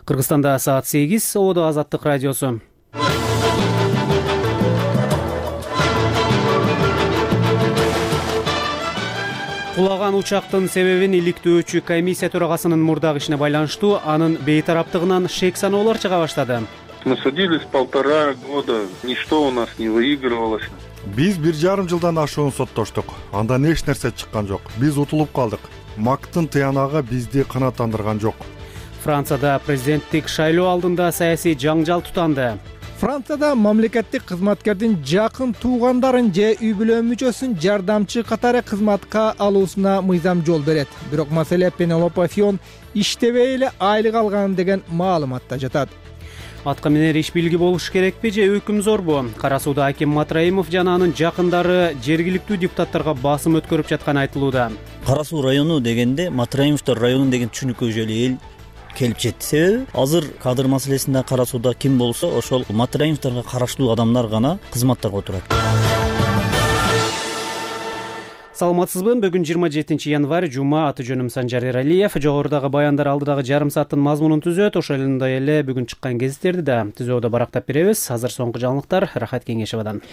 Кыргызстанда саат 8, Ободо Азаттык радиосу. Кулаган учактын себебин иликтөөчү комиссия төрагасынын мурдагы ишине байланыштуу анын бейтараптыгынан шек саноолор чыга баштады. Мы судились 1,5 года, ничто у нас не выигрывалось. Биз 1,5 жылдан ашуун соттоштук. Андан эч нерсе чыккан жок. Биз утулуп калдык. МАКтын тыянагы бизди канааттандырган жок. Францияда президенттик шайлоо алдында саясий жаңжал тутанды. Францияда мамлекеттик кызматкердин жакын туугандарын же үй бүлө мүчөсүн жардамчы катары кызматка алуусуна мыйзам жол берет. Бирок маселе Пенелопа Фион иштебей эле айлык алган деген маалыматта жатат. Атка минер иш билги болуш керекпи же өкүм зорбу? Кара сууда аким Матраимов жана анын жакындары жергиликтүү депутаттарга басым өткөрүп жатканы айтылууда. Кара суу району дегенде Матраимовдор району деген түшүнүккө уже эл келип жетти. Себеби азыр кадр маселесинде кара сууда ким болсо ошол Матраимовдорго караштуу адамдар гана кызматтарга отурат. Саламатсызбы? Бүгүн 27 январь жума, аты жөнүм Санжар Эралиев. Жогорудагы баяндар алдыдагы жарым сааттын мазмунун түзөт. Ошондой эле бүгүн чыккан гезиттерди да түзөөдө барактап беребиз. Азыр соңку жаңылыктар Рахат Кеңешевадан.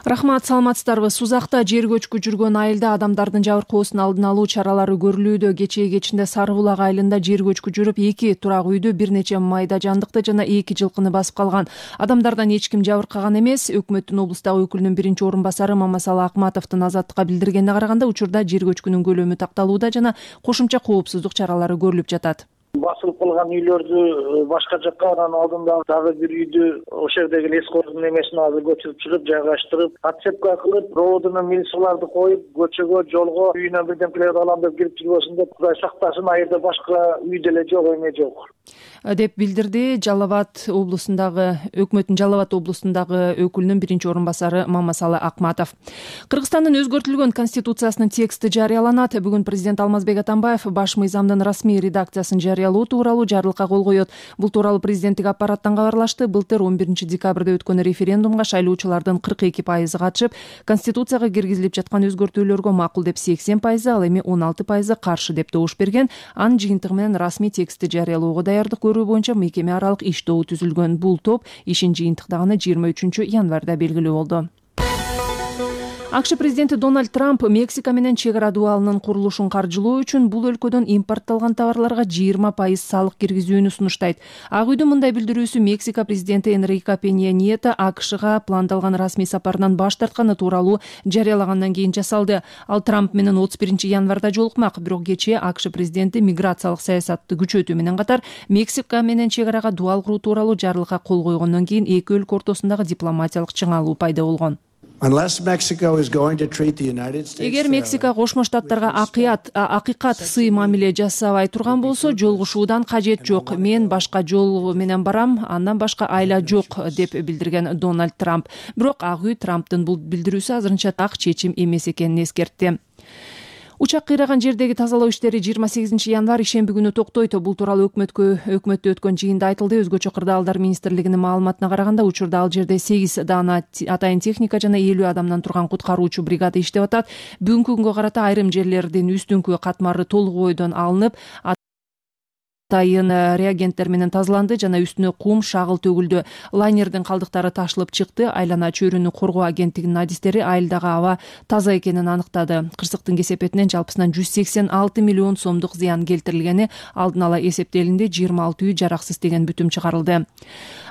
Рахмат, саламатсыздарбы? Сузакта жер көчкү жүргөн айылда адамдардын жабыркоосун алдын алуу чаралары көрүлүүдө. Кечээ кечинде Сары Булак айылында жер көчкү жүрүп, 2 турак үйдү, бир нече майда жандыкты жана 2 жылкыны басып калган. Адамдардан эч ким жабыркаган эмес. Өкмөттүн облустагы өкүлүнүн биринчи орун басары Мамасалы Акматовдун Азаттыкка билдиргенине караганда учурда жер көчкүнүн көлөмү такталууда жана кошумча коопсуздук чаралары көрүлүп жатат. Басылып калган үйлөрдү башка жакка, анан алдында дагы бир үйдү ошол жердеги лескордун эмесин азыр көчүрүп чыгып, жайгаштырып, отцепка кылып, проводуна милицияларды коюп, көчөгө, жолго үйүнөн бирдемелерди алам деп кирип жүрбөсүн деп, Кудай сактасын, айылда башка үй деле жок, эме жок деп билдирди Жалал-Абад облусундагы өкмөттүн Жалал-Абад облусундагы өкүлүнүн биринчи орун басары Мамасалы Акматов. Кыргызстандын өзгөртүлгөн конституциясынын тексти жарыяланат. Бүгүн президент Алмазбек Атамбаев баш мыйзамдын расмий редакциясын жарыялоо тууралуу жарлыкка кол коет. Бул тууралуу президенттик аппараттан кабарлашты. Былтыр 11 декабрда өткөн референдумга шайлоочулардын 42% катышып, конституцияга киргизилип жаткан өзгөртүүлөргө макул деп 80%, ал эми 16% каршы деп добуш берген. Анын жыйынтыгы менен расмий текстти жарыялоого даярдык көрүү боюнча мекеме аралык иш тобу түзүлгөн. Бул топ ишин жыйынтыктаганы 23 январда белгилүү болду. АКШ президенти Дональд Трамп Мексика менен чек ара дубалынын курулушун каржылоо үчүн бул өлкөдөн импортталган товарларга 20% салык киргизүүнү сунуштайт. Ак үйдүн мындай билдирүүсү Мексика президенти Энрике Пенья Нието АКШга пландалган расмий сапарынан баш тартканы тууралуу жарыялагандан кийин жасалды. Ал Трамп менен 31 январда жолукмак, бирок кечээ АКШ президенти миграциялык саясатты күчөтүү менен катар Мексика менен чек арага дубал куруу тууралуу жарлыкка кол койгондон кийин эки өлкө ортосундагы дипломатиялык чыңалуу пайда болгон. Эгер Мексика Кошмо Штаттарга акыйкат сый мамиле жасабай турган болсо, жолугушуудан кажет жок. Мен башка жол менен барам, андан башка айла жок деп билдирген Дональд Трамп. Бирок Ак үй Трамптын бул билдирүүсү азырынча так чечим эмес экенин эскертти. Учак кыйраган жердеги тазалоо иштери 28 январь ишемби күнү токтойт. Бул тууралуу өкмөттө өткөн жыйында айтылды. Өзгөчө кырдаалдар министрлигинин маалыматына караганда, учурда ал жерде 8 даана атайын техника жана 50 адамдан турган куткаруучу бригада иштеп атат. Бүгүнкү күнгө карата айрым жерлердин үстүңкү катмары толук бойдон алынып, атайын реагенттер менен тазаланды жана үстүнө кум, шагыл төгүлдү. Лайнердин калдыктары ташылып чыкты. Айлана чөйрөнү коргоо агенттигинин адистери айылдагы аба таза экенин аныктады. Кырсыктын кесепетинен жалпысынан 186 миллион сомдук зыян келтирилгени алдын ала эсептелинди. 26 үй жараксыз деген бүтүм чыгарылды.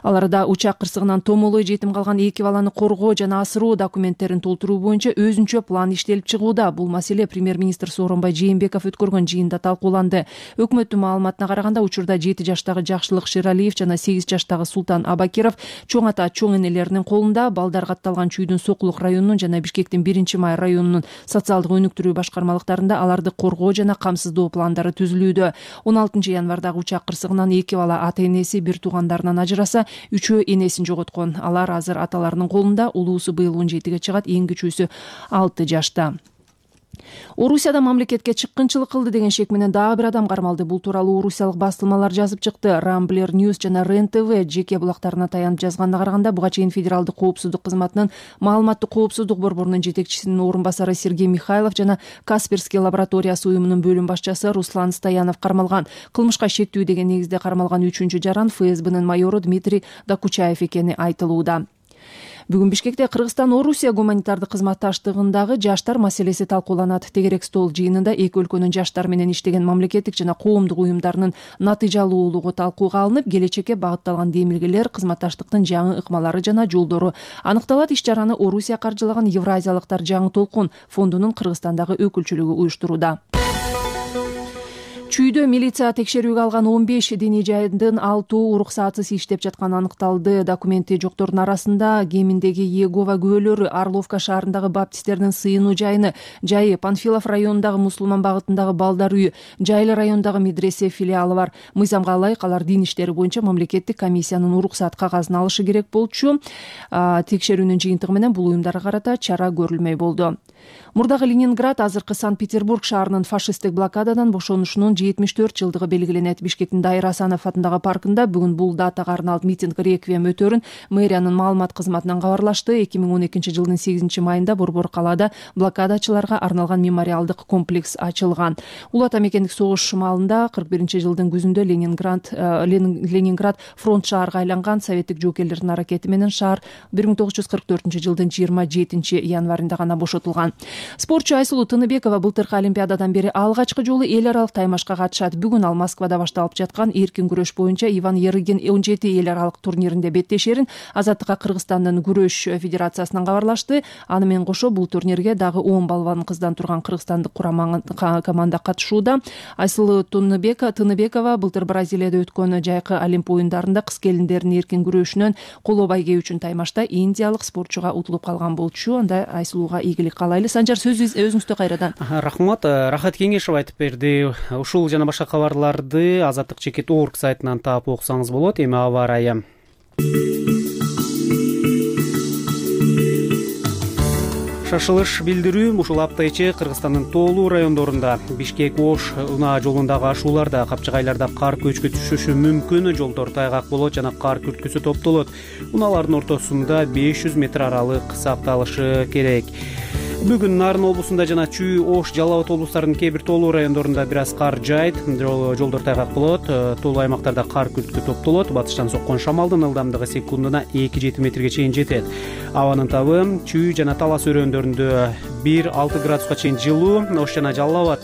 Ал арада учак кырсыгынан томолой жетим калган 2 баланы коргоо жана асыроо документтерин толтуруу боюнча өзүнчө план иштелип чыгууда. Бул маселе премьер-министр Сооронбай Жээнбеков өткөргөн жыйында талкууланды. Өкмөттүн маалыматына караганда, учурда 7 жаштагы Жакшылык Шералиев жана 8 жаштагы Султан Абакиров чоң ата чоң энелеринин колунда. Балдар катталган чүйдүн Сокулук районунун жана Бишкектин 1-Май районунун социалдык өнүктүрүү башкармалыктарында аларды коргоо жана камсыздоо пландары түзүлүүдө. 16 январдагы учак кырсыгынан 2 бала ата энеси, бир туугандарынан ажыраса, 3 энесин жоготкон. Алар азыр аталарынын колунда. Улуусу быйыл 17-ге чыгат, эң кичүүсү 6 жашта. Орусияда мамлекетке чыккынчылык кылды деген шек менен дагы бир адам кармалды. Бул тууралуу орусиялык басылмалар жазып чыкты. Рамблер News жана РЕН-ТВ жеке булактарына таянып жазганына караганда, буга чейин Федералдык коопсуздук кызматынын маалыматтык коопсуздук борборунун жетекчисинин орун басары Сергей Михайлов жана Касперский лабораториясы уюмунун бөлүм башчысы Руслан Стоянов кармалган. Кылмышка шектүү деген негизде кармалган 3-чү жаран ФСБнын майору Дмитрий Докучаев экени айтылууда. Бүгүн Бишкекте Кыргызстан-Орусия гуманитардык кызматташтыгындагы жаштар маселеси талкууланат. Тегерек стол жыйынында эки өлкөнүн жаштар менен иштеген мамлекеттик жана коомдук уюмдарынын натыйжалуулугу талкууга алынып, келечекке багытталган демилгелер, кызматташтыктын жаңы ыкмалары жана жолдору аныкталат. Иш-чараны Орусия каржылаган Евразиялыктар жаңы толкун фондунун Кыргызстандагы өкүлчүлүгү уюштурууда. Чүйдө милиция текшерүүгө алган 15 диний жайдын 6 уруксатсыз иштеп жатканы аныкталды. Документи жоктордун арасында Геминдеги Иегова күбөлөрү, Орловка шаарындагы баптисттердин сыйынуу жайы, Панфилов районундагы мусулман багытындагы балдар үйү, Жайлы районундагы медресе филиалы бар. Мыйзамга ылайык алар дин иштери боюнча мамлекеттик комиссиянын уруксат кагазын алышы керек болчу. Текшерүүнүн жыйынтыгы менен бул уюмдарга карата чара көрүлмөй болду. Мурдагы Ленинград азыркы Санкт-Петербург шаарынын фашисттик блокададан бошонушунун 74 жылдыгы белгиленет. Бишкектин Дайыр Асанов атындагы паркында бүгүн бул датага арналып митинг реквием өтөрүн мэриянын маалымат кызматынан кабарлашты. 2012 жылдын 8 майында Борбор калаада блокадачыларга арналган мемориалдык комплекс ачылган. Улут мекендик согуш маалында 41 жылдын күзүндө Ленинград фронт шаарга айланган. Советтик жоокерлердин аракети менен шаар 1944 жылдын 27 январында гана бошотулган. Спортчу Айсулуу Тыныбекова былтыркы Олимпиададан бери алгачкы жолу эл аралык таймашка катышат. Бүгүн ал Москвада башталып жаткан эркин күрөш боюнча Иван Ярыгин 17 эл аралык турниринде беттешерин Азаттыкка Кыргызстандын күрөш федерациясынан кабарлашты. Аны менен кошо бул турнирге дагы 10 балбан кыздан турган кыргызстандык команда катышууда. Айсулуу Тыныбекова былтыр Бразилияда өткөн жайкы Олимп оюндарында кыз келиндердин эркин күрөшүнөн коло байге үчүн таймашта индиялык спортчуга утулуп калган болчу. Анда Айсулууга ийгилик каалайлы. Санжар, сөз өзүңүздө кайрадан. Рахмат. Рахат Кеңешев айтып берди. Ушул жана башка кабарларды Азаттык чекит орг сайтынан таап окусаңыз болот. Эми аба ырайы. Шашылыш билдирүү ушул апта ичи Кыргызстандын тоолуу райондорунда Бишкек-Ош унаа жолундагы ашууларда, капчыгайларда кар көчкү түшүшү мүмкүн, жолдор тайгак болот жана кар күрткүсү топтолот. Унаалардын ортосунда 500 метр аралык сакталышы керек. Бүгүн Нарын облусунда жана Чүй, Ош, Жалал Абад облустарынын кээ бир тоолуу райондорунда бир аз кар жаайт, жолдор тайгак болот, тоолуу аймактарда кар күрткү топтолот. Батыштан соккон шамалдын ылдамдыгы секундуна 2-7 метрге чейин жетет. Абанын табы Чүй жана Талас өрөөндөрүндө 1-6 градуска чейин жылуу, Ош жана Жалал Абад,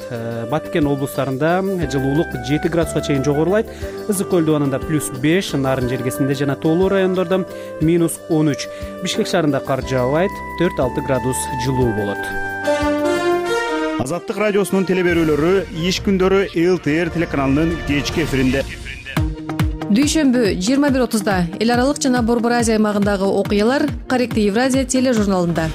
Баткен облустарында жылуулук 7 градуска чейин жогорулайт. Ызык көл дубанында +5, Нарын жергесинде жана тоолуу райондордо -13. Бишкек шаарында кар жаабайт, 4-6 градус жылуу болот. Азаттык радиосунун телеберүүлөрү иш күндөрү ЛТР телеканалынын кечки эфиринде. Дүйшөмбү 21:30 эл аралык жана Борбор Азия аймагындагы окуялар Корректив Евразия тележурналында.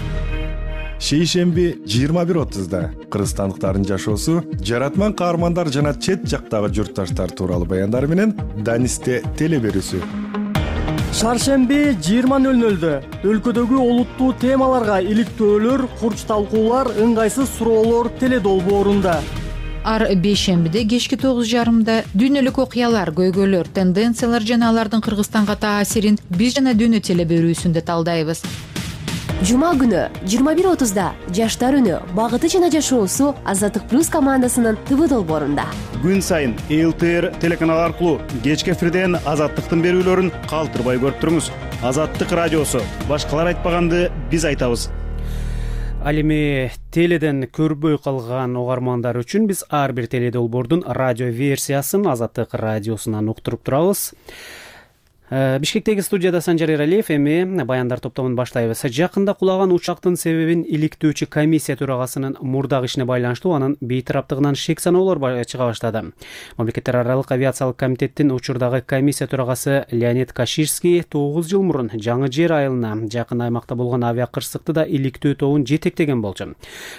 Шейшемби 21:30 кыргызстандыктардын жашоосу, жаратман каармандар жана чет жактагы журтташтар тууралуу баяндар менен Данисте телеберүүсү. Шаршемби 20:00 өлкөдөгү олуттуу темаларга иликтөөлөр, курч талкуулар, ыңгайсыз суроолор теледолбоорунда. Ар бейшембиде кечки 9:30 дүйнөлүк окуялар, көйгөйлөр, тенденциялар жана алардын Кыргызстанга таасирин биз жана дүйнө телеберүүсүндө талдайбыз. Жума күнү 21:30 жаштар үнү, багыты жана жашоосу Азаттык плюс командасынын ТВ долбоорунда. Күн сайын ЛТР телеканалы аркылуу кечки эфирден Азаттыктын берүүлөрүн калтырбай көрүп туруңуз. Азаттык радиосу, башкалар айтпаганды биз айтабыз. Ал эми теледен көрбөй калган угармандар үчүн биз ар бир теледолбоордун радио версиясын Азаттык радиосунан уктуруп турабыз. Бишкектеги студияда Санжар Эралиев, эми баяндар топтомун баштайбыз. Жакында кулаган учактын себебин иликтөөчү комиссия төрагасынын мурдагы ишине байланыштуу анын бейтараптыгынан шек саноолор чыга баштады. Мамлекеттер аралык авиациялык комитеттин учурдагы комиссия төрагасы Леонид Каширский 9 жыл мурун Жаңы Жер айылына жакын аймакта болгон авиа кырсыкты да иликтөө тобун жетектеген болчу.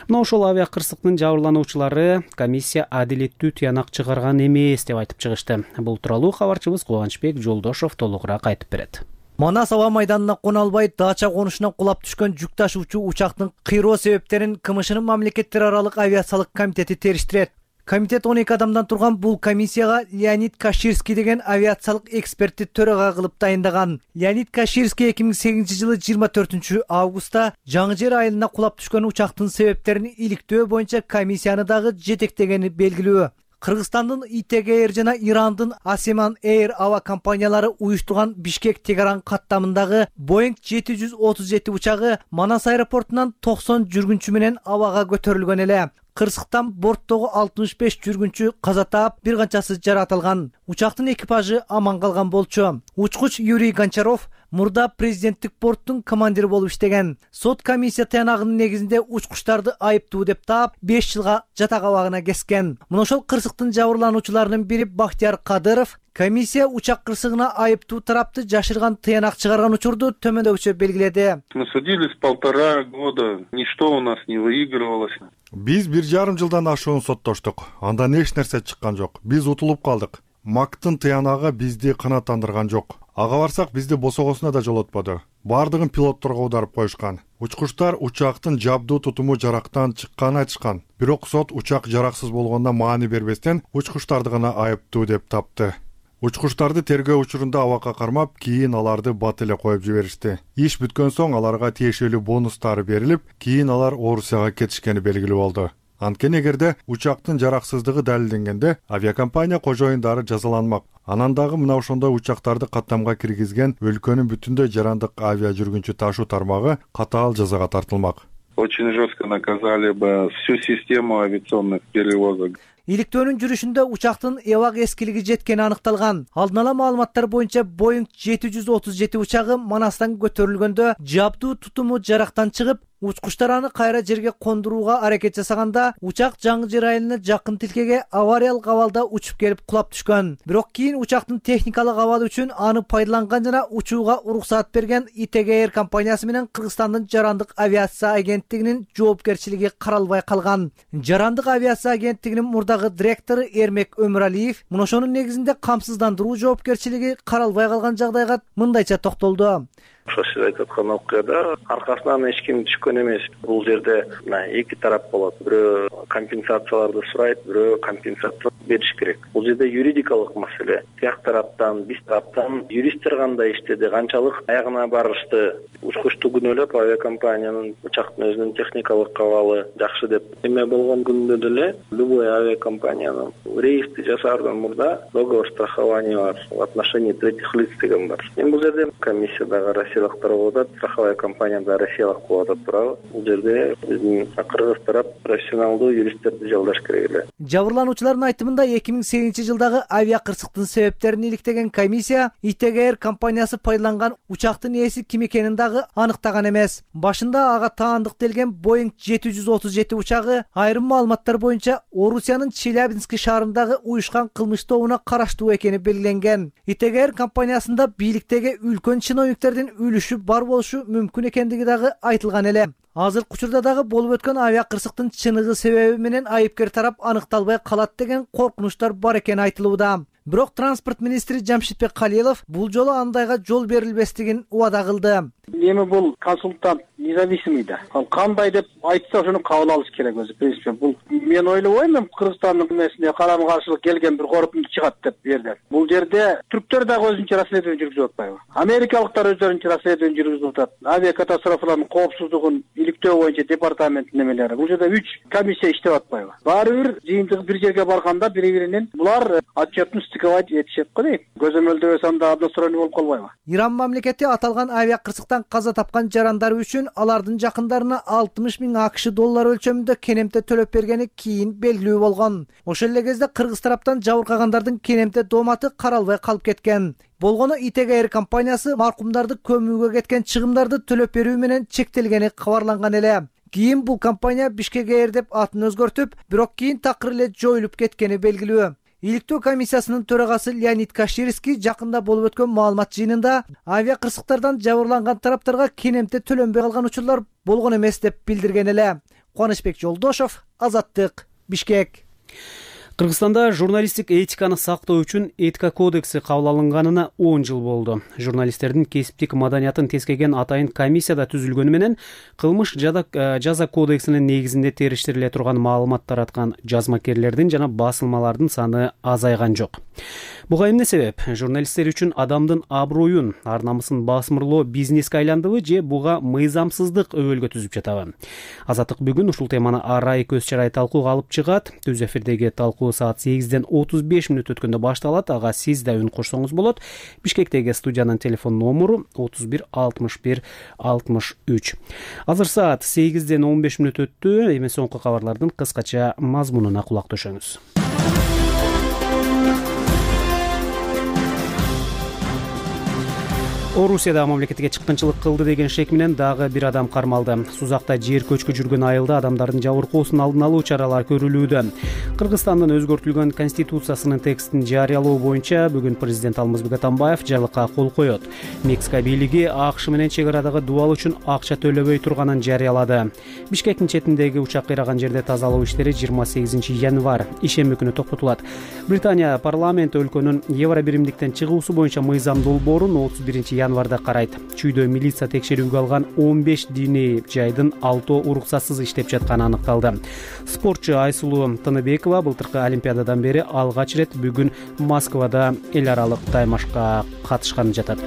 Мына ошол авиа кырсыктын жабырлануучулары комиссия адилеттүү тыянак чыгарган эмес деп айтып чыгышты. Бул тууралуу кабарчыбыз Кубанычбек Жолдошов толугураак айтып берет. Манас аба майданына кона албай дача конушунан кулап түшкөн жүк ташуучу учактын кыйроо себептерин КМШнын мамлекеттер аралык авиациялык комитети териштирет. Комитет 12 адамдан турган бул комиссияга Леонид Каширский деген авиациялык экспертти төрага кылып дайындаган. Леонид Каширский 2008-жылы 24 августта Жаңы Жер айылына кулап түшкөн учактын себептерин иликтөө боюнча комиссияны дагы жетектегени белгилүү. Кыргызстандын ИТГ жана Ирандын Асеман Air ава компаниялары уюштурган Бишкек-Тегеран каттамындагы Boeing 737 учагы Манас аэропортунан 90 жүргүнчү менен абага көтөрүлгөн эле. Кырсыктан борттогу 65 жүргүнчү каза таап, бир канчасы жаратылган. Учактын экипажы аман калган болчу. Учкуч Юрий Гончаров мурда президенттик борттун командири болуп иштеген. Сот комиссия таянагынын негизинде учкучтарды айыптуу деп таап, 5 жылга жатак абагына кескен. Мына ошол кырсыктын жабырлануучуларынын бири Бахтияр Кадыров комиссия учак кырсыгына айыптуу тарапты жашырган тыянак чыгарган учурду төмөндөгүчө белгиледи. Мы судились 1,5 года, ничто у нас не выигрывалось. Биз 1,5 жылдан ашуун соттоштук. Андан эч нерсе чыккан жок. Биз утулуп калдык. МАКтын тыянагы бизди канааттандырган жок. Ага барсак бизди босогосуна да жолотподу. Бардыгын пилотторго аударып коюшкан. Учкучтар учактын жабдуу тутуму жарактан чыкканын айтышкан. Бирок сот учак жараксыз болгондо маани бербестен учкучтарды гана айыптуу деп тапты. Учкучтарды тергөө учурунда абакка кармап, кийин аларды бат эле коюп жиберишти. Иш бүткөн соң аларга тиешелүү бонустары берилип, кийин алар Орусияга кетишкени белгилүү болду. Анткени эгерде учактын жараксыздыгы далилденгенде, авиакомпания кожоюндары жазаланмак. Анан дагы мына ошондой учактарды каттамга киргизген өлкөнүн бүтүндөй жарандык авиа жүргүнчү ташуу тармагы катаал жазага тартылмак. Очень жестко наказали бы всю систему авиационных перевозок. Иликтөөнүн жүрүшүндө учактын эбак эскилиги жеткени аныкталган. Алдын ала маалыматтар боюнча Boeing 737 учагы Манастан көтөрүлгөндө жабдуу тутуму жарактан чыгып, учкучтар аны кайра жерге кондурууга аракет жасаганда, учак Жаңы Жер айылына жакын тилкеге авариялык абалда учуп келип кулап түшкөн. Бирок кийин учактын техникалык абалы үчүн аны пайдаланган жана учууга уруксаат берген ИТГ компаниясы менен Кыргызстандын жарандык авиация агенттигинин жоопкерчилиги каралбай калган. Жарандык авиация агенттигинин мурдагы директору Эрмек Өмүралиев мына ошонун негизинде камсыздандыруу жоопкерчилиги каралбай калган жагдайга мындайча токтолду. Ошо сиз айтып аткан окуяда аркасынан эч ким түшкөн эмес. Бул жерде эки тарап болот. Бирөө компенсацияларды сурайт, бирөө компенсация бериш керек. Бул жерде юридикалык маселе. Тияк тараптан, биз тараптан юристтер кандай иштеди, канчалык аягына барышты. Учкучту күнөөлөп авиакомпаниянын учактын өзүнүн техникалык абалы жакшы деп эме болгон күндө деле любой авиакомпаниянын рейсти жасаардан мурда договор страхования бар в отношении третьих лиц деген бар. Бул жерде комиссиядагы россиялыктар болуп атат, страховая компания да россиялык болуп атат туурабы. Бул жерде биздин кыргыз тарап профессионалдуу юристтерди жалдаш керек эле. Жабырлануучулардын айтымында 2008-жылдагы авиа кырсыктын себептерин иликтеген комиссия ИТГ компаниясы пайдаланган учактын ээси ким экенин дагы аныктаган эмес. Башында ага таандык делген Boeing 737 учагы айрым маалыматтар боюнча Орусиянын Челябинск шаарындагы уюшкан кылмыш тобуна караштуу экени белгиленген. ИТГ компаниясында бийликтеги үлкөн чиновниктердин үлүшү бар болушу мүмкүн экендиги дагы айтылган эле. Азыркы учурда дагы болуп өткөн авиа кырсыктын чыныгы себеби менен айыпкер тарап аныкталбай калат деген коркунучтар бар экени айтылууда. Бирок транспорт министри Жамшитбек Калилов бул жолу андайга жол берилбестигин убада кылды. Эми бул консультант независимый да. Ал кандай деп айтса ошону кабыл алыш керек өзү. Принципе бул мен ойлобойм, Кыргызстандын эмесине карама каршылык келген бир корутунду чыгат деп берди. Бул жерде түрктөр дагы өзүнчө расследование жүргүзүп атпайбы? Америкалыктар өздөрүнчө расследование жүргүзүп атат. Авиа катастрофалардын коопсуздугун иликтөө боюнча департаменттин эмелери. Бул жерде 3 комиссия иштеп атпайбы? Баары бир жыйынтыгы бир жерге барганда бири-биринин булар отчетун стыковать этишет го дейт. Көзөмөлдөбөс анда односторонний болуп калбайбы? Иран мамлекети аталган авиа кырсыктан каза тапкан жарандар үчүн алардын жакындарына 60 000 АКШ доллары өлчөмүндө кенемте төлөп бергени кийин белгилүү болгон. Ошол эле кезде кыргыз тараптан жабыркагандардын кенемте дооматы каралбай калып кеткен. Болгону ИТГ компаниясы маркумдарды көмүүгө кеткен чыгымдарды төлөп берүү менен чектелгени кабарланган эле. Кийин бул компания Бишкек деп атын өзгөртүп, бирок кийин такыр эле жоюлуп кеткени белгилүү. Иликтөө комиссиясынын төрагасы Леонид Каширский жакында болуп өткөн маалымат жыйынында авиа кырсыктардан жабырланган тараптарга кенемте төлөнбөй калган учурлар болгон эмес деп билдирген эле. Кубанычбек Жолдошов, Азаттык, Бишкек. Кыргызстанда журналисттик этиканы сактоо үчүн этика кодекси кабыл алынганына 10 жыл болду. Журналисттердин кесиптик маданиятын тескеген атайын комиссияда түзүлгөнү менен кылмыш жаза кодексинин негизинде териштириле турган маалымат тараткан жазмакерлердин жана басылмалардын саны азайган жок. Буга эмне себеп? Журналисттер үчүн адамдын аброюн, ар намысын басмырлоо бизнеске айландыбы же буга мыйзамсыздык өбөлгө түзүп жатабы? Азаттык бүгүн ушул теманы арай көз чарай талкууга алып чыгат. Түз эфирдеги талкуу саат 8-ден 35 мүнөт өткөндө башталат. Ага сиз да үн кошсоңуз болот. Бишкектеги студиянын телефон номуру 31 61 63. Азыр саат 8-ден 15 мүнөт өттү. Эми соңку кабарлардын кыскача мазмунуна кулак төшөңүз. Орусияда мамлекетке чыккынчылык кылды деген шек менен дагы бир адам кармалды. Сузакта жер көчкү жүргөн айылда адамдардын жабыркоосун алдын алуу чаралары көрүлүүдө. Кыргызстандын өзгөртүлгөн конституциясынын текстин жарыялоо боюнча бүгүн президент Алмазбек Атамбаев жарлыкка кол коет. Мексика бийлиги АКШ менен чек арадагы дубал үчүн акча төлөбөй турганын жарыялады. Бишкектин четиндеги учак кыйраган жерде тазалоо иштери 28 январь ишемби күнү токтотулат. Британия парламенти өлкөнүн евро биримдиктен чыгуусу боюнча мыйзам долбоорун 31 январда карайт. Чүйдө милиция текшерүүгө алган 15 диний жайдын 6 уруксатсыз иштеп жатканы аныкталды. Спортчу Айсулуу Тыныбекова былтыркы Олимпиададан бери алгач рет бүгүн Москвада эл аралык таймашка катышканы жатат.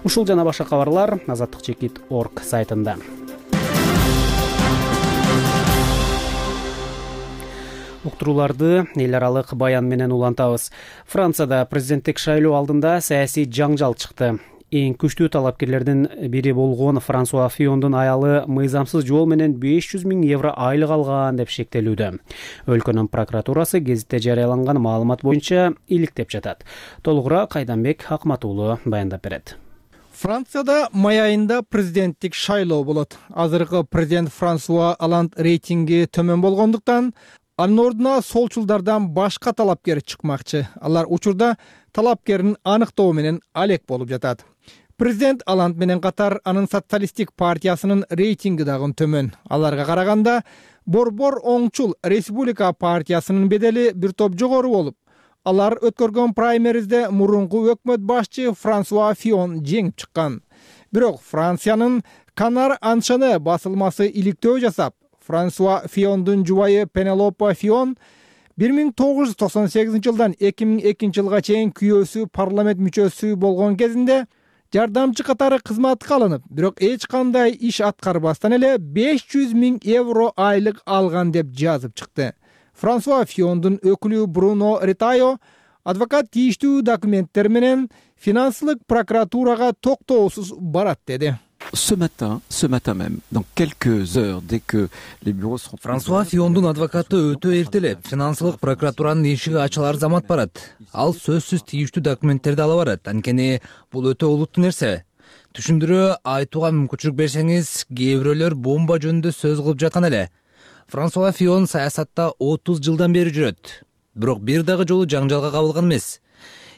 Ушул жана башка кабарлар azattikchekit.org сайтында. Уктурууларды эл аралык баян менен улантабыз. Францияда президенттик шайлоо алдында саясий жаңжал чыкты. Эң күчтүү талапкерлердин бири болгон Франсуа Фиондун аялы мыйзамсыз жол менен 500 000 евро айлык алган деп шектелүүдө. Өлкөнүн прокуратурасы гезитте жарыяланган маалымат боюнча иликтеп жатат. Толугураак Кайданбек Акматуулу баяндап берет. Францияда май айында президенттик шайлоо болот. Азыркы президент Франсуа Оланд рейтинги төмөн болгондуктан анын ордуна солчулдардан башка талапкер чыкмакчы. Алар учурда талапкерин аныктоо менен алек болуп жатат. Президент Оланд менен катар анын социалисттик партиясынын рейтинги дагы төмөн. Аларга караганда борбор оңчул Республика партиясынын бедели бир топ жогору болуп, алар өткөргөн праймеризде мурунку өкмөт башчы Франсуа Фион жеңип чыккан. Бирок Франциянын Канар Аншаны басылмасы иликтөө жасап, Франсуа Фиондун жубайы Пенелопа Фион 1998 жылдан 2002 жылга чейин күйөөсү парламент мүчөсү болгон кезинде жардамчы катары кызматка алынып, бирок эч кандай иш аткарбастан эле 500 000 евро айлык алган деп жазып чыкты. Франсуа Фиондун өкүлү Бруно Ретайо адвокат тийиштүү документтер менен финансылык прокуратурага токтоосуз барат деди. Ce matin même, dans quelques heures, dès que les bureaux seront... Франсуа Фиондун адвокаты өтө эртелеп, финансылык прокуратуранын эшиги ачылар замат барат. Ал сөзсүз тийиштүү документтерди ала барат. Анткени бул өтө олуттуу нерсе. Түшүндүрүү айтууга мүмкүнчүлүк берсеңиз, кээ бирөөлөр бомба жөнүндө сөз кылып жаткан эле. Франсуа Фион саясатта 30 жылдан бери жүрөт. Бирок бир дагы жолу жаңжалга кабылган эмес.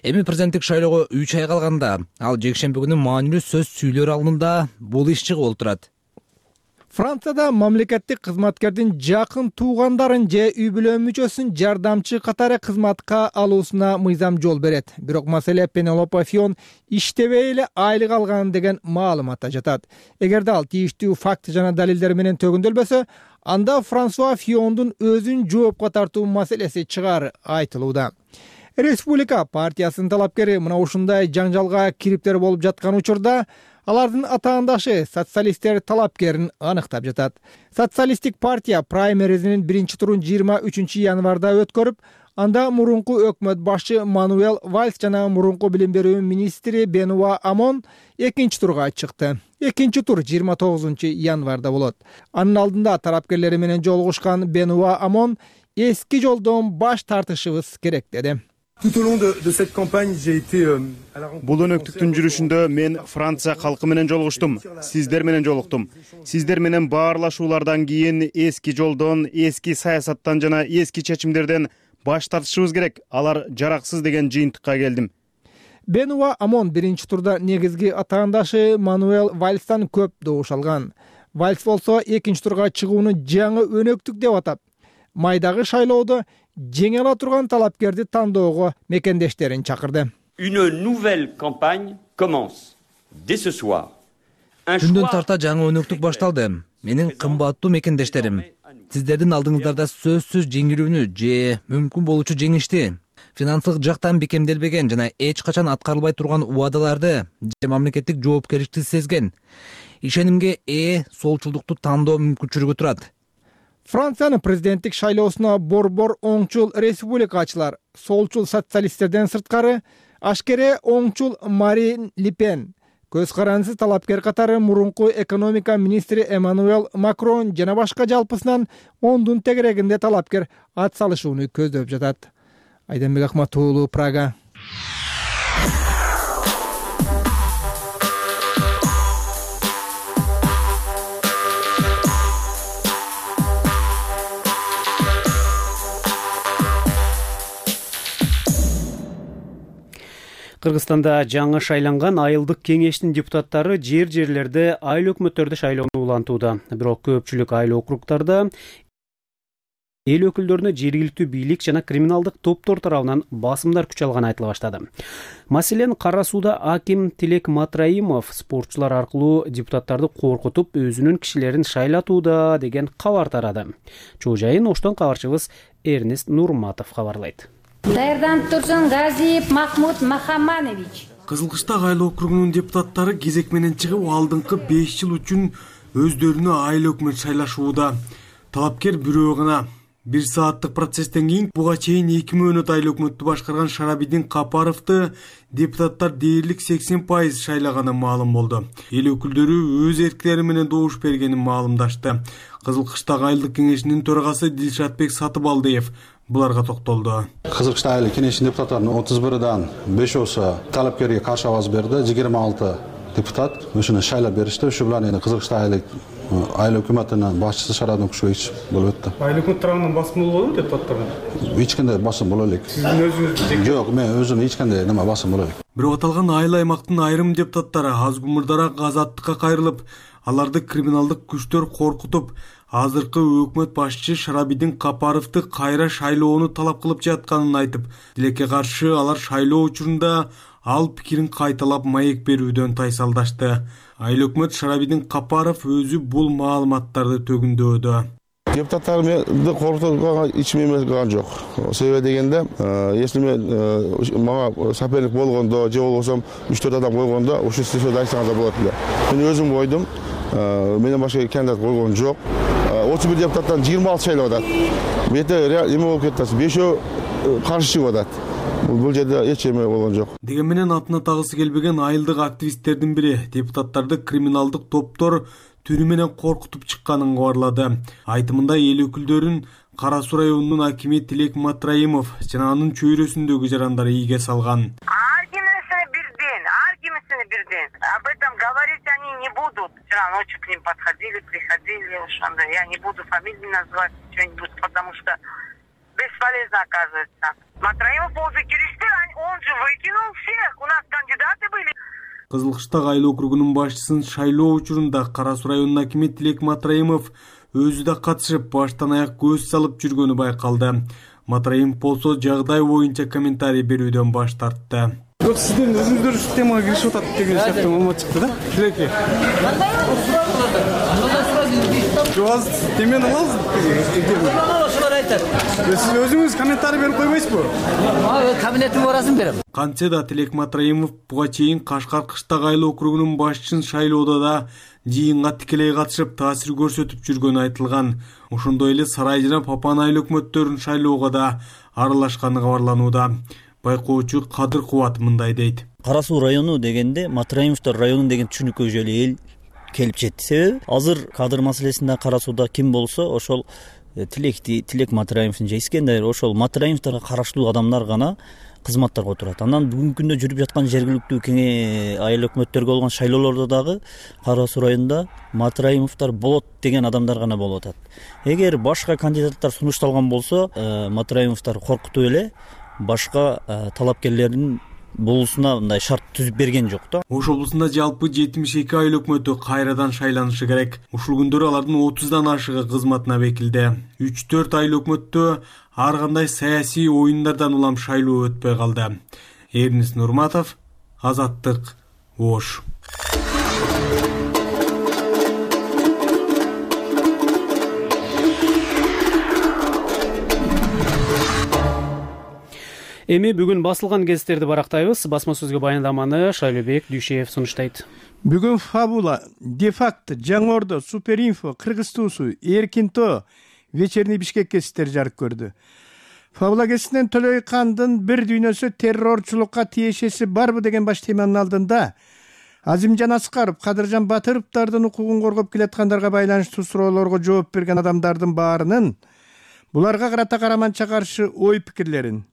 Эми президенттик шайлоого 3 ай калганда, ал жекшемби күнү маанилүү сөз сүйлөр алдында бул иш чыгып олтурат. Францияда мамлекеттик кызматкердин жакын туугандарын же үй бүлө мүчөсүн жардамчы катары кызматка алуусуна мыйзам жол берет. Бирок маселе Пенелопа Фион иштебей эле айлык алган деген маалыматта жатат. Эгерде ал тийиштүү факт жана далилдер менен төгүндөлбөсө, анда Франсуа Фиондун өзүн жоопко тартуу маселеси чыгары айтылууда. Республика партиясынын талапкери мына ушундай жаңжалга кириптер болуп жаткан учурда алардын атаандашы социалисттер талапкерин аныктап жатат. Социалисттик партия праймеризинин биринчи турун 23 январда өткөрүп, анда мурунку өкмөт башчы Мануэл Вальс жана мурунку билим берүү министри Бенуа Амон экинчи турга чыкты. Экинчи тур 29 январда болот. Анын алдында талапкерлери менен жолугушкан Бенуа Амон эски жолдон баш тартышыбыз керек деди. Бул өнөктүктүн жүрүшүндө мен Франция калкы менен жолугуштум, сиздер менен жолуктум. Сиздер менен баарлашуулардан кийин эски жолдон, эски саясаттан жана эски чечимдерден баш тартышыбыз керек. Алар жараксыз деген жыйынтыкка келдим. Бенуа Амон биринчи турда негизги атаандашы Мануэл Вальстан көп добуш алган. Вальс болсо экинчи турга чыгууну жаңы өнөктүк деп атап, майдагы шайлоодо жеңе ала турган талапкерди тандоого мекендештерин чакырды. Une nouvelle campagne commence dès ce soir. Түндөн тарта жаңы өнөктүк башталды. Менин кымбаттуу мекендештерим, сиздердин алдыңыздарда сөзсүз жеңилүүнү же мүмкүн болуучу жеңишти, финансылык жактан бекемделбеген жана эч качан аткарылбай турган убадаларды же мамлекеттик жоопкерчиликти сезген, ишенимге ээ солчулдукту тандоо мүмкүнчүлүгү турат. Франциянын президенттик шайлоосуна борбор оңчул республикачылар, солчул социалисттерден сырткары ашкере оңчул Марин Ле Пен, көз карандысыз талапкер катары мурунку экономика министри Эммануэл Макрон жана башка жалпысынан 10дун тегерегинде талапкер ат салышууну көздөп жатат. Айданбек Акматуулу, Прага. Кыргызстанда жаңы шайланган айылдык кеңештин депутаттары жерлерде айыл өкмөттөрдү шайлоону улантууда. Бирок көпчүлүк айыл округдарда эл өкүлдөрүнө жергиликтүү бийлик жана криминалдык топтор тарабынан басымдар күч алганы айтыла баштады. Маселен, Кара Сууда аким Тилек Матраимов спортчулар аркылуу депутаттарды коркутуп, өзүнүн кишилерин шайлатууда деген кабар тарады. Чоо жайын Оштон кабарчыбыз Эрнест Нурматов кабарлайт. Даярданып турсун Газиев Махмуд Махаманович. Кызылкыштак айыл округунун депутаттары кезек менен чыгып, алдыңкы 5 жыл үчүн өздөрүнө айыл өкмөт шайлашууда. Талапкер бирөө гана. 1 сааттык процесстен кийин буга чейин 2 мөөнөт айыл өкмөттү башкарган Шарабидин Капаровду депутаттар дээрлик 80% шайлаганы маалым болду. Эл өкүлдөрү өз эркинери менен добуш бергенин маалымдашты. Кызылкыштак айылдык кеңешинин төрагасы Дилшатбек Сатыбалдиев буларга токтолду. Кызылкыштак айыл кеңешинин депутаттарынын 31дан 5 талапкерге каршы абаз берди. 26 депутат ошону шайлап беришти. Ушу менен эми Кызылкыштак айыл өкмөтүнүн башчысы Шарадын Кушевич болуп өттү. Айыл өкмөт тарабынан басым болобу депутаттарга? Эч кандай басым боло элек. Сиздин өзүңүз? Жок, мен өзүм эч кандай нема басым боло элек. Бирок аталган айыл аймактын айрым депутаттары аз гумурдараак азаттыкка кайрылып, аларды криминалдык күчтөр коркутуп, азыркы өкмөт башчы Шарабидин Капаровду кайра шайлоону талап кылып жатканын айтып, тилекке каршы алар шайлоо учурунда ал пикирин кайталап маек берүүдөн тайсалдашты. Айыл өкмөт Шарабидин Капаров өзү бул маалыматтарды төгүндөдү. Депутаттарды коркутууга ичим эмес кылган жок. Себеби дегенде, если мен мага соперник болгондо же болбосо 3-4 адам койгондо, ошол сизге айтсаңыз болот эле. Мен өзүм койдум. Менен башка кандидат койгон жок. 31 депутаттан 26 шайлап атат. Бете эме болуп кетти. 5 каршы чыгып атат. Бул жерде эч эме болгон жок. Деген менен атына тагысы келбеген айылдык активисттердин бири депутаттарды криминалдык топтор түрү менен коркутуп чыкканын кабарлады. Айтымында эл өкүлдөрүн Кара Суу районунун акими Тилек Матраимов жана анын чөйрөсүндөгү жарандар ийге салган. Birden. Об этом говорить они не будут. Вчера ночью к ним приходили, я не буду фамилии назвать, что-нибудь, потому что бесполезно оказывается. Матраимов уже он же выкинул всех, у нас кандидаты были. Кызылкыштак айыл округунун башчысын шайлоо учурунда Кара Суу районунун акими Тилек Матраимов өзү да катышып, баштан аяк көз салып жүргөнү байкалды. Матраимов болсо жагдай боюнча комментарий берүүдөн баш тартты. Yok sizden özünüzдөр şu temaya giriş otat деген сияқты маалымат чыкты да. Тилекке. Жоз темени аласыз? Сиз өзүңүз комментарий берип койбойсузбу? Кабинеттин барасын берем. Кантсе да Тилек Матраимов буга чейин Кашкар Кыштак айыл округунун башчысын шайлоодо да жыйынга тикелей катышып таасир көрсөтүп жүргөнү айтылган. Ошондой эле Сарай жана Папан айыл өкмөттөрүн шайлоого да аралашканы кабарланууда. Байкоочу Кадыр Кубат мындай дейт. Кара Суу району дегенде Матраимовдор району деген түшүнүккө эле эл келип жетти. Себеби азыр кадыр маселесинде Кара Сууда ким болсо ошол Тилек Матраимовдун же Искендер ошол Матраимовдорго караштуу адамдар гана кызматтарга отурат. Андан бүгүнкү күндө жүрүп жаткан жергиликтүү айыл өкмөттөргө болгон шайлоолордо дагы Кара Суу районунда Матраимовдор болот деген адамдар гана болуп атат. Эгер башка кандидаттар сунушталган болсо, Матраимовдор коркутуп эле башка талапкерлердин болусуна мындай шарт түзүп берген жок да. Ош облусунда жалпы 72 айыл өкмөтү кайрадан шайланышы керек. Ушул күндөрү алардын 30дан ашыгы кызматына бекилди. 3-4 айыл өкмөттө ар кандай саясий оюндардан улам шайлоо өтпөй калды. Эрнис Нурматов, Азаттык, Ош. Эми бүгүн басылган гезиттерди барактайбыз. Басма сөзгө баяндаманы Шайлообек Дүйшеев сунуштайт. Бүгүн Фабула, Дефакт, Жаңы Ордо, Суперинфо, Кыргыз Туусу, Эркинто, Вечерний Бишкек гезиттери жарык көрдү. Фабула гезитинен Төлөй Кандын бир дүйнөсү террорчулукка тиешеси барбы деген баш теманын алдында Азимжан Аскаров, Кадыржан Батыровдардын укугун коргоп келаткандарга байланыштуу суроолорго жооп берген адамдардын баарынын буларга карата караманча каршы ой пикирлерин,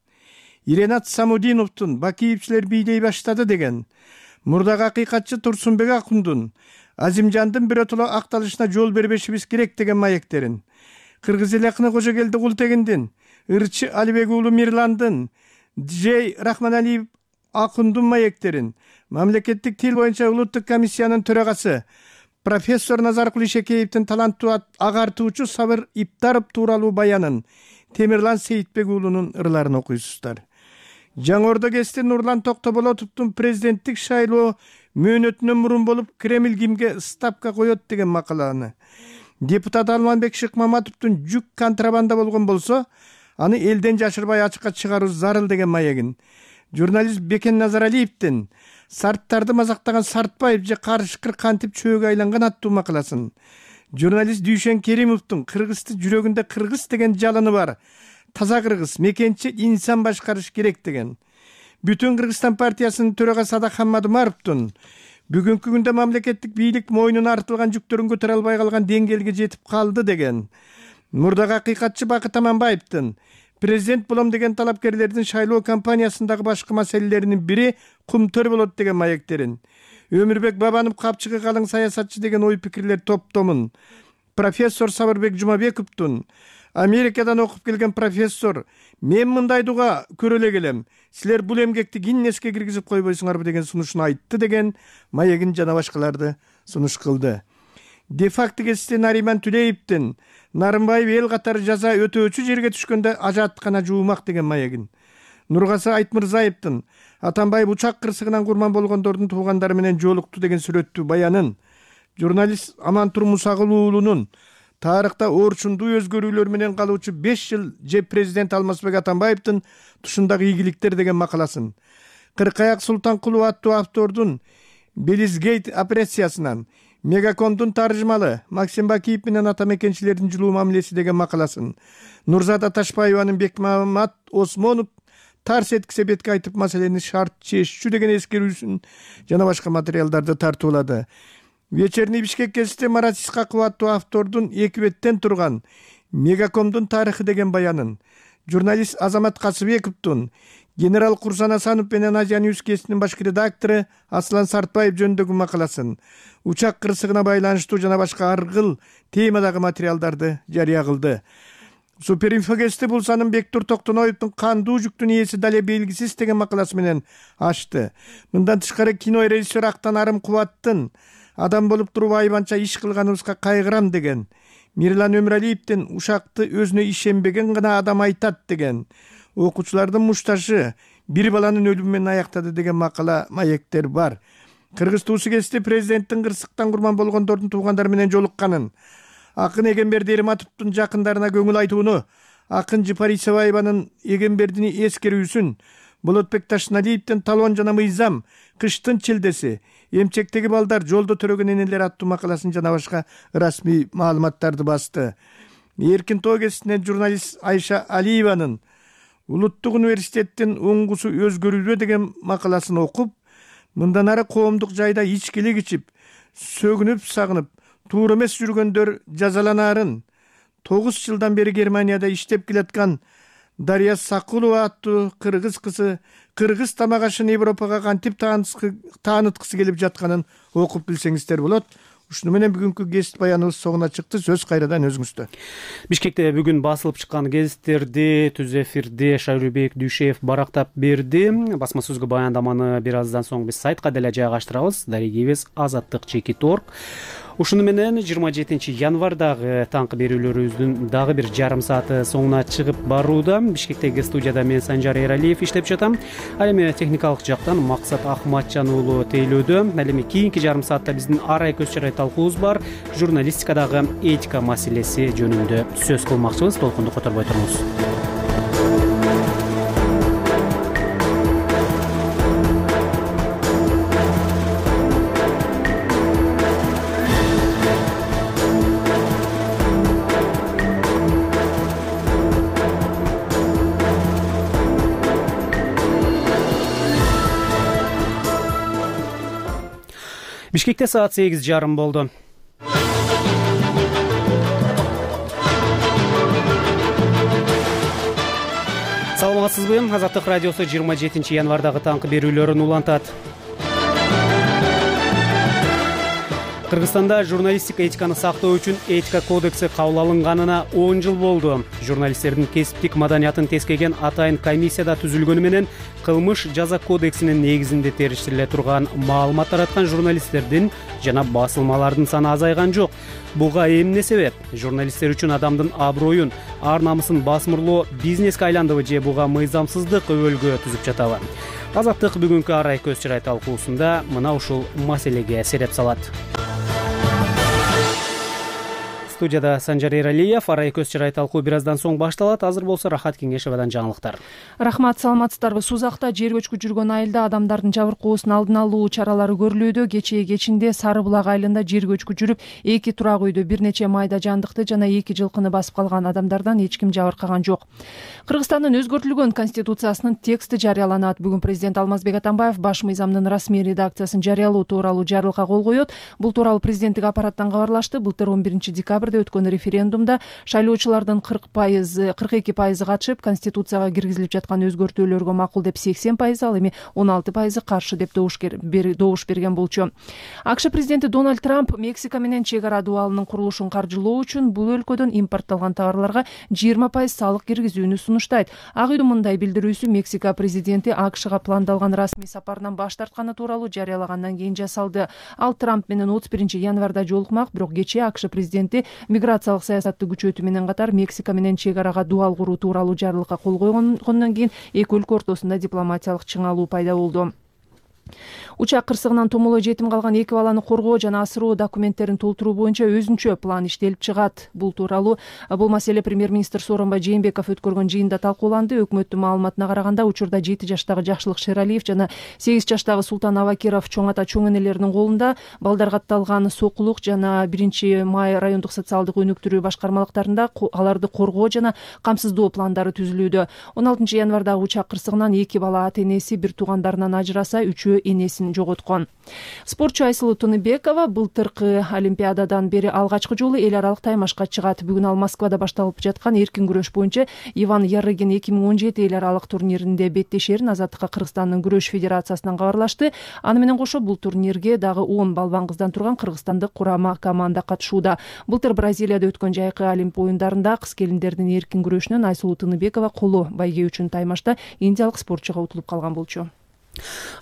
Иренат Самудиновдун Бакиевчилер бийлей баштады деген, мурдагы акыйкатчы Турсунбек Акундун Азимжандын биротоло акталышына жол бербешибиз керек деген маектерин, Кыргыз эл акыны Кожогелди Култегиндин, Ырчы Алибек уулу Мирландын, Джей Рахманалиев Акундун маектерин, Мамлекеттик тил боюнча улуттук комиссиянын төрагасы профессор Назаркул Ишекеевдин таланттуу агартуучу Сабыр Иптаров тууралуу баянын, Темирлан Сейитбек уулунун ырларын окуйсуздар. Жаңы Ордо гезити Нурлан Токтоболотовдун президенттик шайлоо мөөнөтүнөн мурун болуп Кремль кимге ставка коет деген макаланы, депутат Алманбек Шыкмаматовдун жүк контрабанда болгон болсо, аны элден жашырбай ачыкка чыгаруу зарыл деген маегин, журналист Бекен Назаралиевдин сарттарды мазактаган Сартбаев же Карышкыр кантип чөөгө айланган аттуу макаласын, журналист Дүйшен Керимовдун Кыргызды жүрөгүндө кыргыз деген жалыны бар, таза кыргыз, мекенчи инсан башкарыш керек деген, Бүтүн Кыргызстан партиясынын төрагасы Садак Хаммадумаровдун бүгүнкү күндө мамлекеттик бийлик мойнуна артылган жүктөрүн көтөрө албай калган деңгээлге жетип калды деген, мурдагы акыйкатчы Бакыт Аманбаевдин президент болом деген талапкерлердин шайлоо кампаниясындагы башкы маселелеринин бири кумтөр болот деген маектерин, Өмүрбек Бабанов капчыгы калың саясатчы деген ой пикирлер топтомун, профессор Сабырбек Жумабековдун Америкадан окуп келген профессор мен мындай дуга көрө эле келем, силер бул эмгекти Гиннеске киргизип койбойсуңарбы деген сунушун айтты деген маегин жана башкаларды сунуш кылды. Дефакт гезити Нариман Түлеевдин Нарымбаев эл катары жаза өтөөчү жерге түшкөндө ажааттыкана жуумак деген маегин, Нургасы Айтмырзаевдин Атамбаев учак кырсыгынан курман болгондордун туугандары менен жолукту деген сүрөттүү баянын, журналист Амантур Мусагул уулунун тарыхта орчундуу өзгөрүүлөр менен калуучу 5 жыл же президент Алмазбек Атамбаевдин тушундагы ийгиликтер деген макаласын, Кыркаяк Султанкулов аттуу автордун Белизгейт операциясынан, Мегакомдун таржымалы Максим Бакиев менен ата мекенчилердин жылуу мамилеси деген макаласын, Нурзада Ташпаеванын Бекмамат Осмонов тарс эткисе бетке айтып маселени шарт чечүү деген эскерүүсүн жана башка материалдарды тартуулады. Вечерний Бишкек гезити Марат Исхаков аттуу автордун 2 беттен турган Мегакомдун тарыхы деген баянын, журналист Азамат Касыбековдун генерал Курсан Асанов менен Азия Ньюс гезитинин башкы редактору Аслан Сартбаев жөнүндөгү макаласын, учак кырсыгына байланыштуу жана башка аргыл темадагы материалдарды жарыя кылды. Суперинфо гезити Булсанын Бектур Токтоноевдун кандуу жүктүн ээси дале белгисиз деген макаласы менен ачты. Мындан тышкары кино режиссер Актанарым Кубаттын адам болуп туруп айбанча иш кылганыбызга кайгырам деген, Мирлан Өмүралиевдин ушакты өзүнө ишенбеген гана адам айтат деген, окуучулардын мушташы бир баланын өлүмү менен аяктады деген макала маектер бар. Кыргыз Туусу гезити президенттин кырсыктан курман болгондордун туугандары менен жолукканын, акын Эгемберди Эриматовдун жакындарына көңүл айтууну, акын Жыпарисоваеванын Эгембердини эскерүүсүн, Болотбек Ташналиевдин Талон жана Мыйзам, Кыштын челдеси, Эмчектеги балдар, жолдо төрөгөн энелер аттуу макаласын жана башка расмий маалыматтарды басты. Эркинто гезитинен журналист Айша Алиеванын Улуттук университеттин оңгусу өзгөрүүдө деген макаласын окуп, мындан ары коомдук жайда ичкилик ичип, сөгүнүп сагынып, туура эмес жүргөндөр жазаланаарын 9 жылдан бери Германияда иштеп келаткан Дарья Сакулова аттуу кыргыз кызы кыргыз тамак ашын Европага кантип тааныткысы келип жатканын окуп билсеңиздер болот. ушуну менен бүгүнкү гезит баяныбыз соңуна чыкты. Сөз кайрадан өзүңүздө. Бишкекте бүгүн басылып чыккан гезиттерди түз эфирде Шайлообек Дүйшеев барактап берди. Басма сөзгө баяндаманы бир аздан соң биз сайтка деле жайгаштырабыз. Дарегибиз azattik.org. Ушуну менен 27 январдагы таңкы берүүлөрүбүздүн дагы бир жарым сааты соңуна чыгып барууда. Бишкектеги студияда мен Санжар Эралиев иштеп жатам. Ал эми техникалык жактан Максат Ахматжан уулу тейлөөдө. Ал эми кийинки жарым саатта биздин арай көз чарай талкуубуз бар. Журналистикадагы этика маселеси жөнүндө сөз кылмакчыбыз. Толкунду которбой туруңуз. Бишкекте саат 8:30 болду. Саламатсызбы? Азаттык радиосу 27 январдагы таңкы берүүлөрүн улантат. Кыргызстанда журналистика этиканы сактоо үчүн этика кодекси кабыл алынганына 10 жыл болду. Журналисттердин кесиптик маданиятын тескеген атайын комиссияда түзүлгөнү менен кылмыш жаза кодексинин негизинде териштириле турган маалымат тараткан журналисттердин жана басылмалардын саны азайган жок. Буга эмне себеп? Журналисттер үчүн адамдын аброюн, ар намысын басмырлоо бизнеске айландыбы же буга мыйзамсыздык өбөлгө түзүп жатабы? Азаттык бүгүнкү арай көз чарай талкуусунда мына ушул маселеге сереп салат. Студияда Санжар Эралиев, арай көз чарай талкуу бир аздан соң башталат. Азыр болсо Рахат Кеңешевадан жаңылыктар. Рахмат, саламатсыздарбы? Сузакта жер көчкү жүргөн айылда адамдардын жабыркоосун алдын алуу чаралары көрүлүүдө. Кечинде Сары булак айылында жер көчкү жүрүп, 2 турак үйдө бир нече майда жандыкты жана 2 жылкыны басып калган адамдардан эч ким жабыркаган жок. Кыргызстандын өзгөртүлгөн конституциясынын тексти жарыяланат. Бүгүн президент Алмазбек Атамбаев баш мыйзамдын расмий редакциясын жарыялоо тууралуу жарлыкка кол коет. Бул тууралуу президенттик аппараттан кабарлашты. Былтыр 11 декабрда өткөн референдумда шайлоочулардын 42% катышып, конституцияга киргизилип жаткан өзгөртүүлөргө макул деп 80%, ал эми 16% каршы деп добуш берген болчу. АКШ президенти Дональд Трамп Мексика менен чек ара дубалынын курулушун каржылоо үчүн бул өлкөдөн импортталган товарларга 20% салык киргизүүнү сунуштайт. Ак үйдүн мындай билдирүүсү Мексика президенти АКШга пландалган расмий сапарынан баш тартканы тууралуу жарыялагандан кийин жасалды. Ал Трамп менен 31 январда жолукмак, бирок кечээ АКШ президенти миграциялык саясатты күчөтүү менен катар Мексика менен чек арага дубал куруу тууралуу жарлыкка кол койгондон кийин эки өлкө ортосунда дипломатиялык чыңалуу пайда болду. Учак кырсыгынан томолой жетим калган 2 баланы коргоо жана асыроо документтерин толтуруу боюнча өзүнчө план иштелип чыгат. Бул маселе премьер-министр Сооронбай Жээнбеков өткөргөн жыйында талкууланды. Өкмөттүн маалыматына караганда, учурда 7 жаштагы Жакшылык Шералиев жана 8 жаштагы Султан Абакиров чоң ата чоң энелеринин колунда. Балдар катталган Сокулук жана 1 май райондук социалдык өнүктүрүү башкармалыктарында аларды коргоо жана камсыздоо пландары түзүлүүдө. 16 январдагы учак кырсыгынан 2 бала ата энеси бир туугандарынан ажыраса, 3-өө энесин жоготкон. Спортчу Айсылуу Тыныбекова былтыркы Олимпиададан бери алгачкы жолу эл аралык таймашка чыгат. Бүгүн ал Москвада башталып жаткан эркин күрөш боюнча Иван Ярыгин 2017 эл аралык турниринде беттешерин Азаттыкка Кыргызстандын күрөш федерациясынан кабарлашты. Аны менен кошо бул турнирге дагы 10 балбан кыздан турган кыргызстандык курама команда катышууда. Былтыр Бразилияда өткөн жайкы Олимп оюндарында кыз келиндердин эркин күрөшүнөн Айсылуу Тыныбекова коло байге үчүн таймашта индиялык спортчуга утулуп калган болчу.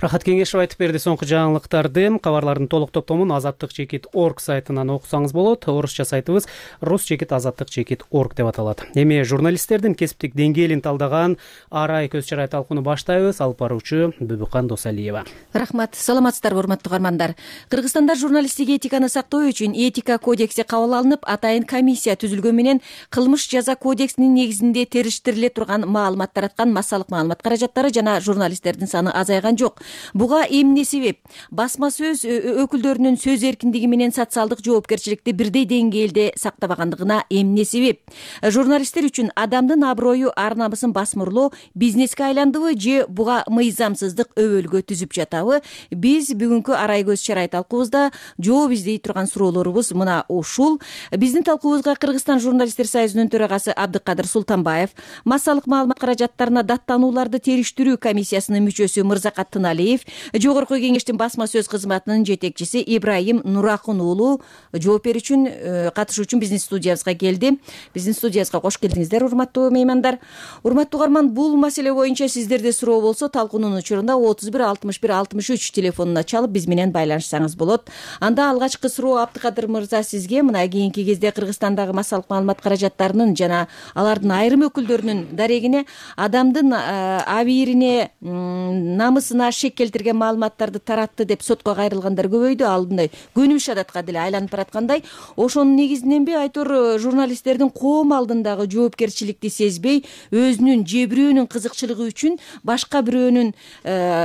Рахат Кеңешев айтып берди соңку жаңылыктарды. Кабарлардын толук топтомун azattik.org сайтынан окусаңыз болот. Орусча сайтыбыз rus.azattik.org деп аталат. Эми журналисттердин кесиптик деңгээлин талдаган арай көз чарай талкууну баштайбыз. Алып баруучу Бүбүкан Досалиева. Рахмат, саламатсыздарбы урматтуу угармандар. Кыргызстанда журналисттик этиканы сактоо үчүн этика кодекси кабыл алынып, атайын комиссия түзүлгөн менен кылмыш жаза кодексинин негизинде териштириле турган маалымат тараткан массалык маалымат каражаттары жана журналисттердин саны азайган жок. Буга эмне себеп? Басма сөз өкүлдөрүнүн сөз эркиндиги менен социалдык жоопкерчиликти бирдей деңгээлде сактабагандыгына эмне себеп? Журналисттер үчүн адамдын аброю, ар намысын басмырлоо бизнеске айландыбы же буга мыйзамсыздык өбөлгө түзүп жатабы? Биз бүгүнкү арай көз чарай талкуубузда жооп издей турган суроолорубуз мына ушул. Биздин талкуубузга Кыргызстан журналисттер союзунун төрагасы Абдыкадыр Султанбаев, массалык маалымат каражаттарына даттанууларды териштирүү комиссиясынын мүчөсү Мырзакай Мырзакат Тыналиев, Жогорку Кеңештин басма сөз кызматынын жетекчиси Ибрайым Нуракун уулу жооп берүү үчүн, катышуу үчүн биздин студиябызга келди. Биздин студиябызга кош келдиңиздер, урматтуу меймандар. Урматтуу угарман, бул маселе боюнча сиздерде суроо болсо, талкуунун учурунда 31 61 63 телефонуна чалып биз менен байланышсаңыз болот. Анда алгачкы суроо Абдыкадыр мырза сизге мына кийинки кезде Кыргызстандагы массалык маалымат каражаттарынын жана алардын айрым өкүлдөрүнүн дарегине адамдын абийирине, намысына шек келтирген маалыматтарды таратты деп сотко кайрылгандар көбөйдү. Ал мындай көнүмүш адатка деле айланып бараткандай. Ошонун негизиненби айтор журналисттердин коом алдындагы жоопкерчиликти сезбей, өзүнүн же бирөөнүн кызыкчылыгы үчүн башка бирөөнүн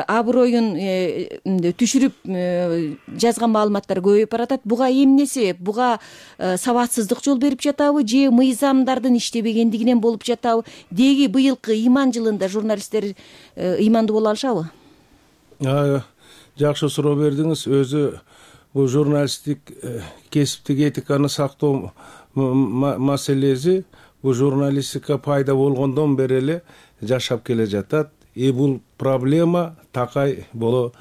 аброюн түшүрүп жазган маалыматтар көбөйүп баратат. Буга эмне себеп? Буга сабатсыздык жол берип жатабы же мыйзамдардын иштебегендигинен болуп жатабы? Деги быйылкы ыйман жылында журналисттер ыймандуу боло алышабы? Жакшы суроо бердиңиз. Өзү бул журналисттик кесиптик этиканы сактоо маселеси бул журналистика пайда болгондон бери эле жашап келе жатат. Бул проблема такай боло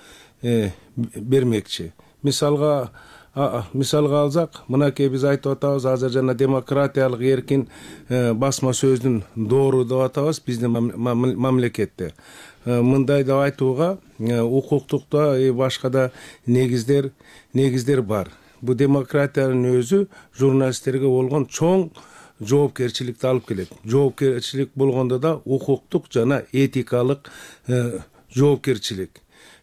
бермекчи. Мисалга алсак, мынакей биз айтып атабыз, азыр жана демократиялык эркин басма сөздүн доору деп атабыз биздин мамлекетте. Мындай деп айтууга укуктукта башка да негиздер бар. Бул демократиянын өзү журналисттерге болгон чоң жоопкерчиликти алып келет. Жоопкерчилик болгондо да укуктук жана этикалык жоопкерчилик.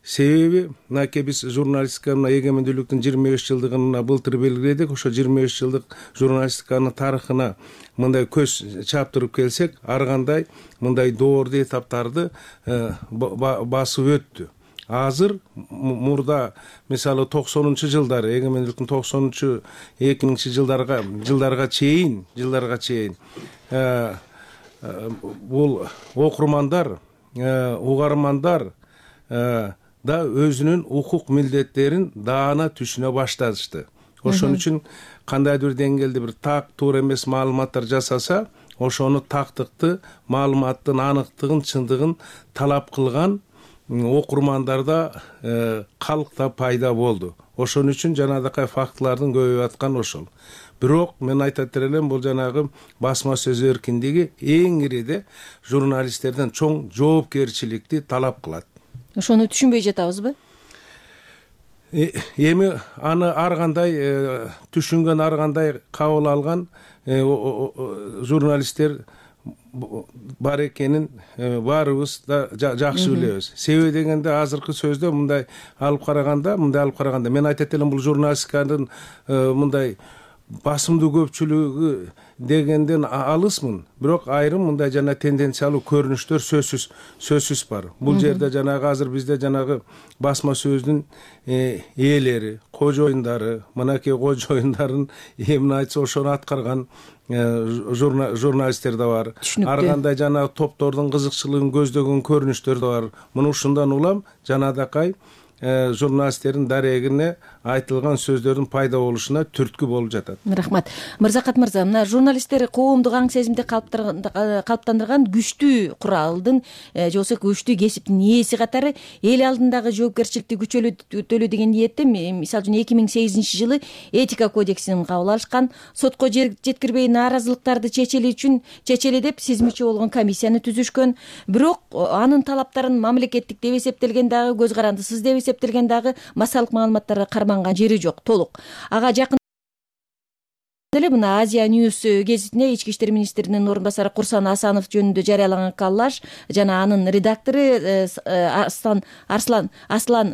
Себеби мынакей биз журналистика эгемендүүлүктүн 25 жылдыгын былтыр белгиледик. Ошо 25 жылдык журналистиканын тарыхына мындай көз чаптырып келсек, ар кандай мындай доорду этаптарды басып өттү. Азыр мурда мисалы 90-жылдары, эгемендүүлүктүн 2000-жылдарга чейин бул окурмандар, угармандар да өзүнүн укук милдеттерин даана түшүнө башташты. Ошон үчүн кандайдыр бир деңгээлде бир так туура эмес маалыматтар жасаса, ошону тактыкты, маалыматтын аныктыгын, чындыгын талап кылган окурмандарда калкта пайда болду. Ошон үчүн жанагы фактылардын көбөйүп аткан ошол. Бирок мен айтат элем, бул жанагы басма сөз эркиндиги эң ириде журналисттерден чоң жоопкерчиликти талап кылат. Ошону түшүнбөй жатабызбы? Эми аны ар кандай түшүнгөн, ар кандай кабыл алган журналисттер бар экенин баарыбыз да жакшы билебиз. Себеби дегенде азыркы сөздө мындай алып караганда мен айтат элем, бул журналистиканын мындай басымдуу көпчүлүгү дегенден алысмын. Бирок айрым мындай жана тенденциялуу көрүнүштөр сөзсүз бар. Бул жерде жанагы азыр бизде жанагы басма сөздүн ээлери, кожоюндары, мынакей кожоюндарын эмне айтса ошону аткарган журналисттер да бар. Ар кандай жана топтордун кызыкчылыгын көздөгөн көрүнүштөр да бар. Муну ушундан улам жанагы журналисттердин дарегине айтылган сөздөрдүн пайда болушуна түрткү болуп жатат. Рахмат. Мырзакат мырза, мына журналисттер коомдук аң сезимди калыптандырган күчтүү куралдын же болбосо күчтүү кесиптин ээси катары эл алдындагы жоопкерчиликти күчөтөлү деген ниетте, мисалы үчүн 2008-жылы этика кодексин кабыл алышкан, сотко жеткирбей нааразылыктарды чечели деп сезмечи болгон комиссияны түзүшкөн. Бирок анын талаптарын мамлекеттик деп эсептелген дагы, көз карандысыз деп эсептелген дагы массалык маалыматтарга карманган жери жок, толук. Ага жакын эле мына Азия Ньюс гезитине ички иштер министринин орун басары Курсан Асанов жөнүндө жарыялаган коллаж жана анын редактору Аслан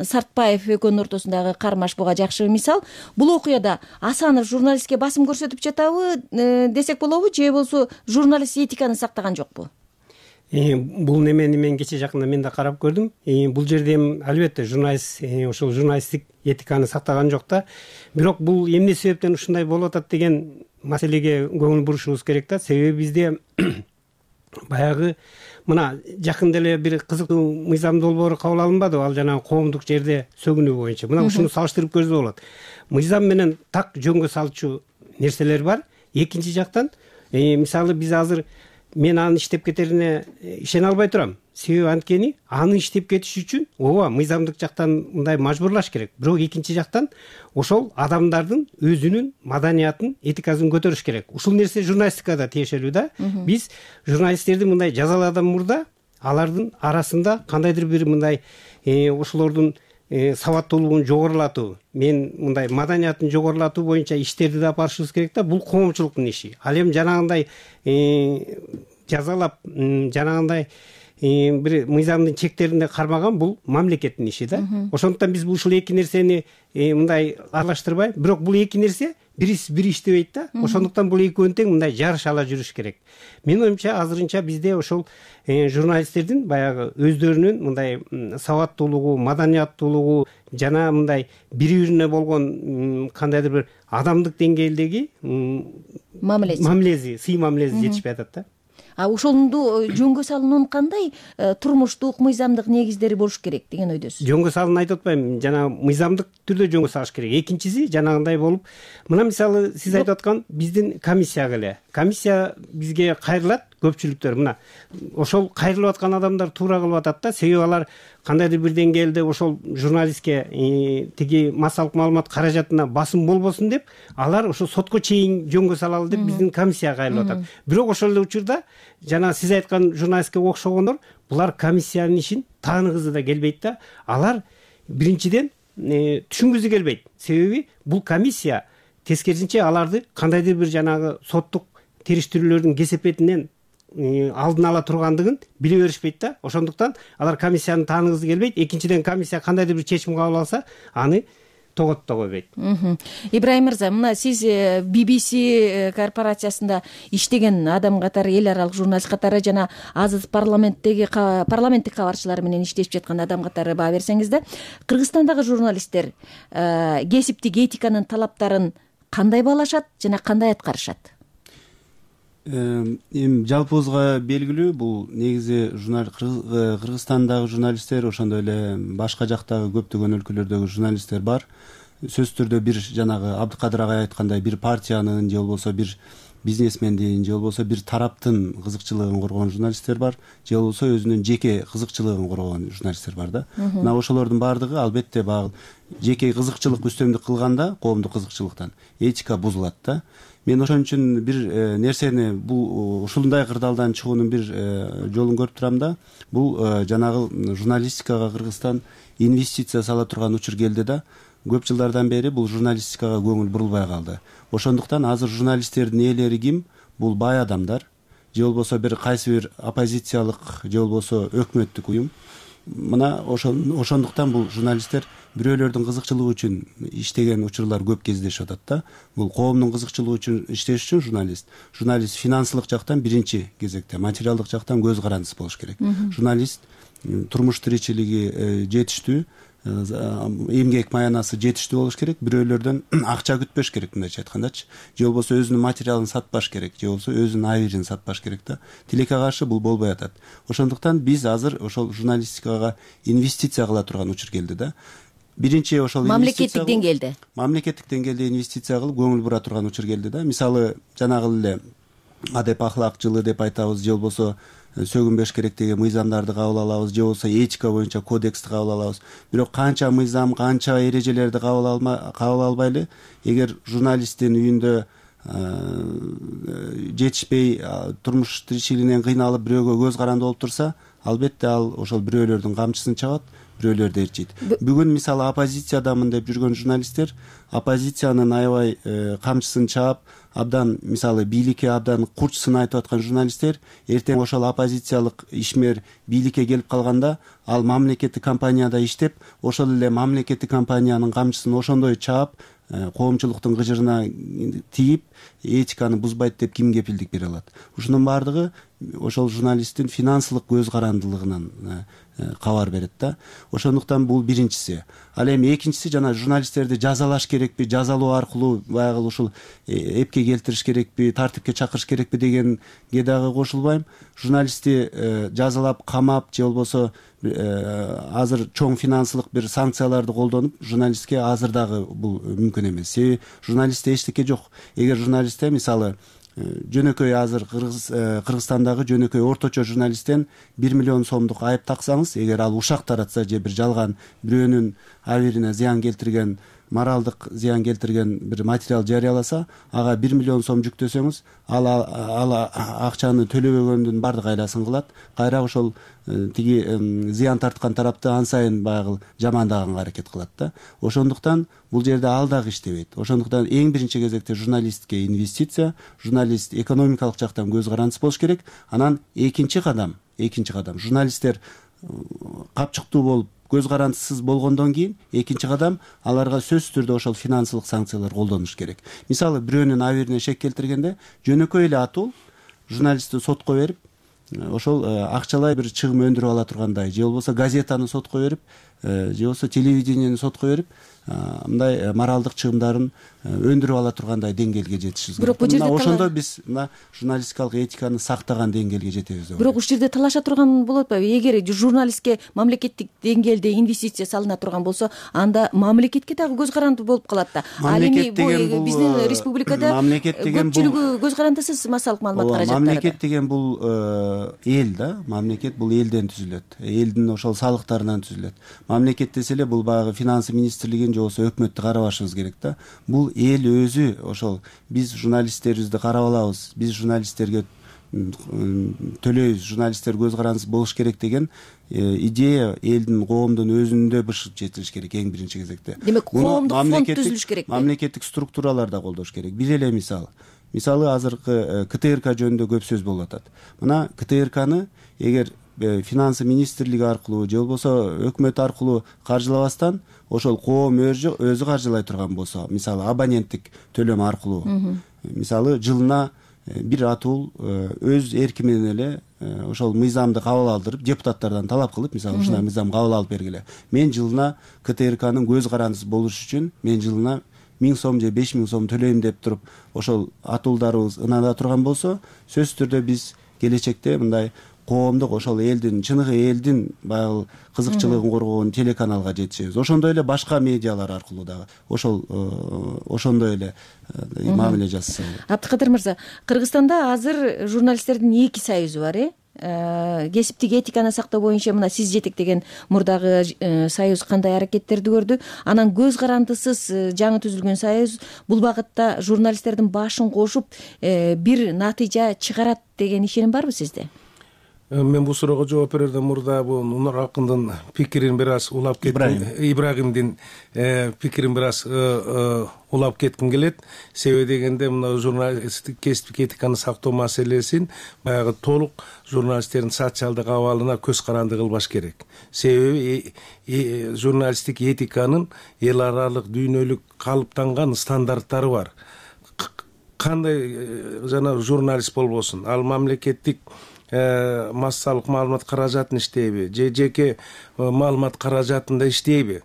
Сартбаев экөөнүн ортосундагы кармаш буга жакшы мисал. Бул окуяда Асанов журналистке басым көрсөтүп жатабы десек болобу, же болбосо журналист этиканы сактаган жокпу? Бул немени мен кечээ жакында мен да карап көрдүм. Бул жерде албетте журналист ошол журналисттик этиканы сактаган жок да. Бирок бул эмне себептен ушундай болуп атат деген маселеге көңүл бурушубуз керек да. Себеби бизде баягы мына жакында эле бир кызыктуу мыйзам долбоору кабыл алынбадыбы? Ал жанагы коомдук жерде сөгүнүү боюнча. Мына ушуну салыштырып көрсө болот. Мыйзам менен так жөнгө салчу нерселер бар. Экинчи жактан, мисалы биз азыр мен анын иштеп кетерине ишене албай турам. себеби анткени аны иштеп кетиш үчүн ооба мыйзамдык жактан мындай мажбурлаш керек, бирок экинчи жактан ошол адамдардын өзүнүн маданиятын, этикасын көтөрүш керек. Ушул нерсе журналистикада тиешелүү да. Биз журналисттерди мындай жазалаадан мурда алардын арасында кандайдыр бир мындай ошолордун сабаттуулугун жогорулатуу, мен мындай маданиятын жогорулатуу боюнча иштерди да барышыбыз керек да. Бул коомчулуктун иши. Ал эми жанагындай жазалап, жанагындай бир мыйзамдын чектеринде кармаган бул мамлекеттин иши да. Ошондуктан биз ушул эки нерсени мындай аралаштырбай, бирок бул эки нерсе бир иштебейт да. Ошондуктан бул экөөнү тең мындай жарыш ала жүрүш керек. Менин оюмча азырынча бизде ошол журналисттердин баягы өздөрүнүн мындай сабаттуулугу, маданияттуулугу жана мындай бири-бирине болгон кандайдыр бир адамдык деңгээлдеги мамилеси, сый мамилеси жетишпей атат да. Ошонду жөнгө салуунун кандай турмуштук, мыйзамдык негиздери болуш керек деген ойдосуз? Жөнгө салууну айтып атпайм, жана мыйзамдык түрдө жөнгө салыш керек. Экинчиси жанагындай болуп, мына мисалы сиз айтып аткан биздин комиссияга эле. Комиссия бизге кайрылат, көпчүлүктөр мына ошол кайрылып аткан адамдар туура кылып атат да. Себеби алар кандайдыр бир деңгээлде ошол журналистке тиги массалык маалымат каражатына басым болбосун деп, алар ошо сотко чейин жөнгө салалы деп биздин комиссияга кайрылып атат. Бирок ошол эле учурда жана сиз айткан журналистке окшогондор булар комиссиянын ишин тааныгысы да келбейт да. Алар биринчиден түшүнгүсү келбейт. Себеби бул комиссия тескерисинче аларды кандайдыр бир жанагы соттук териштирүүлөрдүн кесепетинен алдын ала тургандыгын биле беришпейт да. Ошондуктан алар комиссияны тааныгысы келбейт. Экинчиден комиссия кандайдыр бир чечим кабыл алса, аны тоготто койбойт. Ибрайым мырза, мына сиз BBC корпорациясында иштеген адам катары, эл аралык журналист катары жана азыр парламенттик кабарчылар менен иштешип жаткан адам катары баа берсеңиз да, Кыргызстандагы журналисттер кесиптик этиканын талаптарын кандай баалашат жана кандай аткарышат? Эми жалпыбызга белгилүү, бул негизи Кыргызстандагы журналисттер, ошондой эле башка жактагы көптөгөн өлкөлөрдөгү журналисттер бар. Сөзсүз түрдө бир жанагы Абдыкадыр агай айткандай бир партиянын же болбосо бир бизнесмендин же болбосо бир тараптын кызыкчылыгын коргогон журналисттер бар, же болбосо өзүнүн жеке кызыкчылыгын коргогон журналисттер бар да. Мына ошолордун баардыгы албетте баягы жеке кызыкчылык үстөмдүк кылганда коомдук кызыкчылыктан этика бузулат да. Мен ошон үчүн бир нерсени бул ушундай кырдаалдан чыгуунун бир жолун көрүп турам да. Бул жанагы журналистикага Кыргызстан инвестиция сала турган учур келди да. Көп жылдардан бери бул журналистикага көңүл бурулбай калды. Ошондуктан азыр журналисттердин ээлери ким? Бул бай адамдар, же болбосо бир кайсы бир оппозициялык, же болбосо өкмөттүк уюм. Мына ошондуктан бул журналисттер бирөөлөрдүн кызыкчылыгы үчүн иштеген учурлар көп кездешип атат да. Бул коомдун кызыкчылыгы үчүн иштеш үчүн журналист финансылык жактан биринчи кезекте, материалдык жактан көз карандысы болуш керек. Журналист турмуш тиричилиги жетиштүү, эмгек маянасы жетиштүү болуш керек, бирөөлөрдөн акча күтпөш керек, мындайча айткандачы. Же болбосо өзүнүн материалын сатпаш керек, же болбосо өзүнүн абийирин сатпаш керек да. Тилекке каршы бул болбой атат. Ошондуктан биз азыр ошол журналистикага инвестиция кыла турган учур келди да. Биринчи ошол мамлекеттик деңгээлде инвестиция кылып көңүл бура турган учур келди да. Мисалы жанагы эле адеп ахлак жылы деп айтабыз, же болбосо сөгүнбөш керек деген мыйзамдарды кабыл алабыз, же болбосо этика боюнча кодексти кабыл алабыз. Бирок канча мыйзам, канча эрежелерди кабыл албайлы, эгер журналисттин үйүндө жетишпей, турмуш тиричилигинен кыйналып бирөөгө көз каранды болуп турса, албетте ал ошол бирөөлөрдүн камчысын чабат, бирөөлөрдү ээрчийт. Бүгүн мисалы оппозициядамын деп жүргөн журналисттер оппозициянын аябай камчысын чаап, абдан мисалы бийликке абдан курчсын айтып аткан журналисттер эртең ошол оппозициялык ишмер бийликке келип калганда, ал мамлекеттик компанияда иштеп, ошол эле мамлекеттик компаниянын камчысын ошондой чаап, коомчулуктун кыжырына тийип, этиканы бузбайт деп ким кепилдик бере алат? Ушунун баардыгы ошол журналисттин финансылык көз карандылыгынан кабар берет да. Ошондуктан бул биринчиси. Ал эми экинчиси жана журналисттерди жазалаш керекпи, жазалоо аркылуу баягы ушул эпке келтириш керекпи, тартипке чакырыш керекпи дегенге дагы кошулбайм. Журналистти жазалап, камап, же болбосо азыр чоң финансылык бир санкцияларды колдонуп, журналистке азыр дагы бул мүмкүн эмес. Себеби журналистте эчтеке жок. Эгер журналистте мисалы жөнөкөй азыр Кыргызстандагы жөнөкөй орточо журналисттен 1 миллион сомдук айып таксаңыз, эгер ал ушак таратса же бир жалган бирөөнүн абийирине зыян келтирген, моралдык зыян келтирген бир материал жарыяласа, ага 1 миллион сом жүктөсөңүз, ал акчаны төлөбөгөндүн бардык айласын кылат. Кайра ошол тиги зыян тарткан тарапты ан сайын баягы жамандаганга аракет кылат да. Ошондуктан бул жерде ал дагы иштебейт. Ошондуктан эң биринчи кезекте журналистке инвестиция, журналист экономикалык жактан көз карандысы болуш керек. Анан экинчи кадам журналисттер капчыктуу болуп көз карандысыз болгондон кийин экинчи кадам аларга сөзсүз түрдө ошол финансылык санкциялар колдонуш керек. Мисалы бирөөнүн абийирине шек келтиргенде жөнөкөй эле атуу журналистти сотко берип, ошол акчалай бир чыгым өндүрүп ала тургандай, же болбосо газетаны сотко берип, же болбосо телевидениени сотко берип, мындай моралдык чыгымдарын өндүрүп ала тургандай деңгээлге жетишибиз керек. Ошондо биз мына журналистикалык этиканы сактаган деңгээлге жетебиз деп. Бирок ушул жерде талаша турган болот атпайбы? Эгер журналистке мамлекеттик деңгээлде инвестиция салына турган болсо, анда мамлекетке дагы көз карандуу болуп калат да. Ал эми биздин республикада көпчүлүгү көз карандысыз массалык маалымат каражаттары. Мамлекет деген бул эл да. Мамлекет бул элден түзүлөт. Элдин ошол салыктарынан түзүлөт. Мамлекет десе эле бул баягы финансы министрлигин же болбосо өкмөттү карабашыбыз керек да. Бул эл өзү ошол биз журналисттерибизди карап алабыз, биз журналисттерге төлөйбүз, журналисттер көз карандысыз болуш керек деген идея элдин, коомдун өзүндө бышып жетилиш керек эң биринчи кезекте. Демек, коомдук фонд түзүлүш керек. Мамлекеттик структуралар да колдош керек. Бир эле мисалы азыркы КТРК жөнүндө көп сөз болуп атат. Мына КТРКны эгер финансы министрлиги аркылуу же болбосо өкмөт аркылуу каржылабастан ошол коом өзү каржылай турган болсо, мисалы абоненттик төлөм аркылуу, мисалы жылына бир атуу өз эрки менен эле ошол мыйзамды кабыл алдырып, депутаттардан талап кылып, мисалы ушундай мыйзам кабыл алып бергиле. Мен жылына КТРКнын көз карандысыз болуш үчүн мен жылына 1000 сом же 5000 сом төлөйм деп туруп, ошол атуулдарыбыз ынада турган болсо, сөзсүз түрдө биз келечекте мындай коомдук ошол элдин, чыныгы элдин баягы кызыкчылыгын коргоон телеканалга жетишебиз. Ошондой эле башка медиалар аркылуу дагы ошондой эле мамиле жасаса болот. Абдыкадыр мырза, Кыргызстанда азыр журналисттердин 2 союзу бар, кесиптик этиканы сактоо боюнча мына сиз жетектеген мурдагы союз кандай аракеттерди көрдү? Анан көз карандысыз жаңы түзүлгөн союз бул багытта журналисттердин башын кошуп бир натыйжа чыгарат деген ишеним барбы сизде? Мен бул суроого жооп берерден мурда бул Нур Акындын пикирин бир аз улап кеттим. Ибрагимдин пикирин бир аз улап кетким келет. Себеби дегенде мына журналисттик кесиптик этиканы сактоо маселесин баягы толук журналисттердин социалдык абалына көз каранды кылбаш керек. Себеби журналисттик этиканын эл аралык дүйнөлүк калыптанган стандарттары бар. Кандай жана журналист болбосун, ал мамлекеттик массалык маалымат каражатын иштейби же жеке маалымат каражатында иштейби,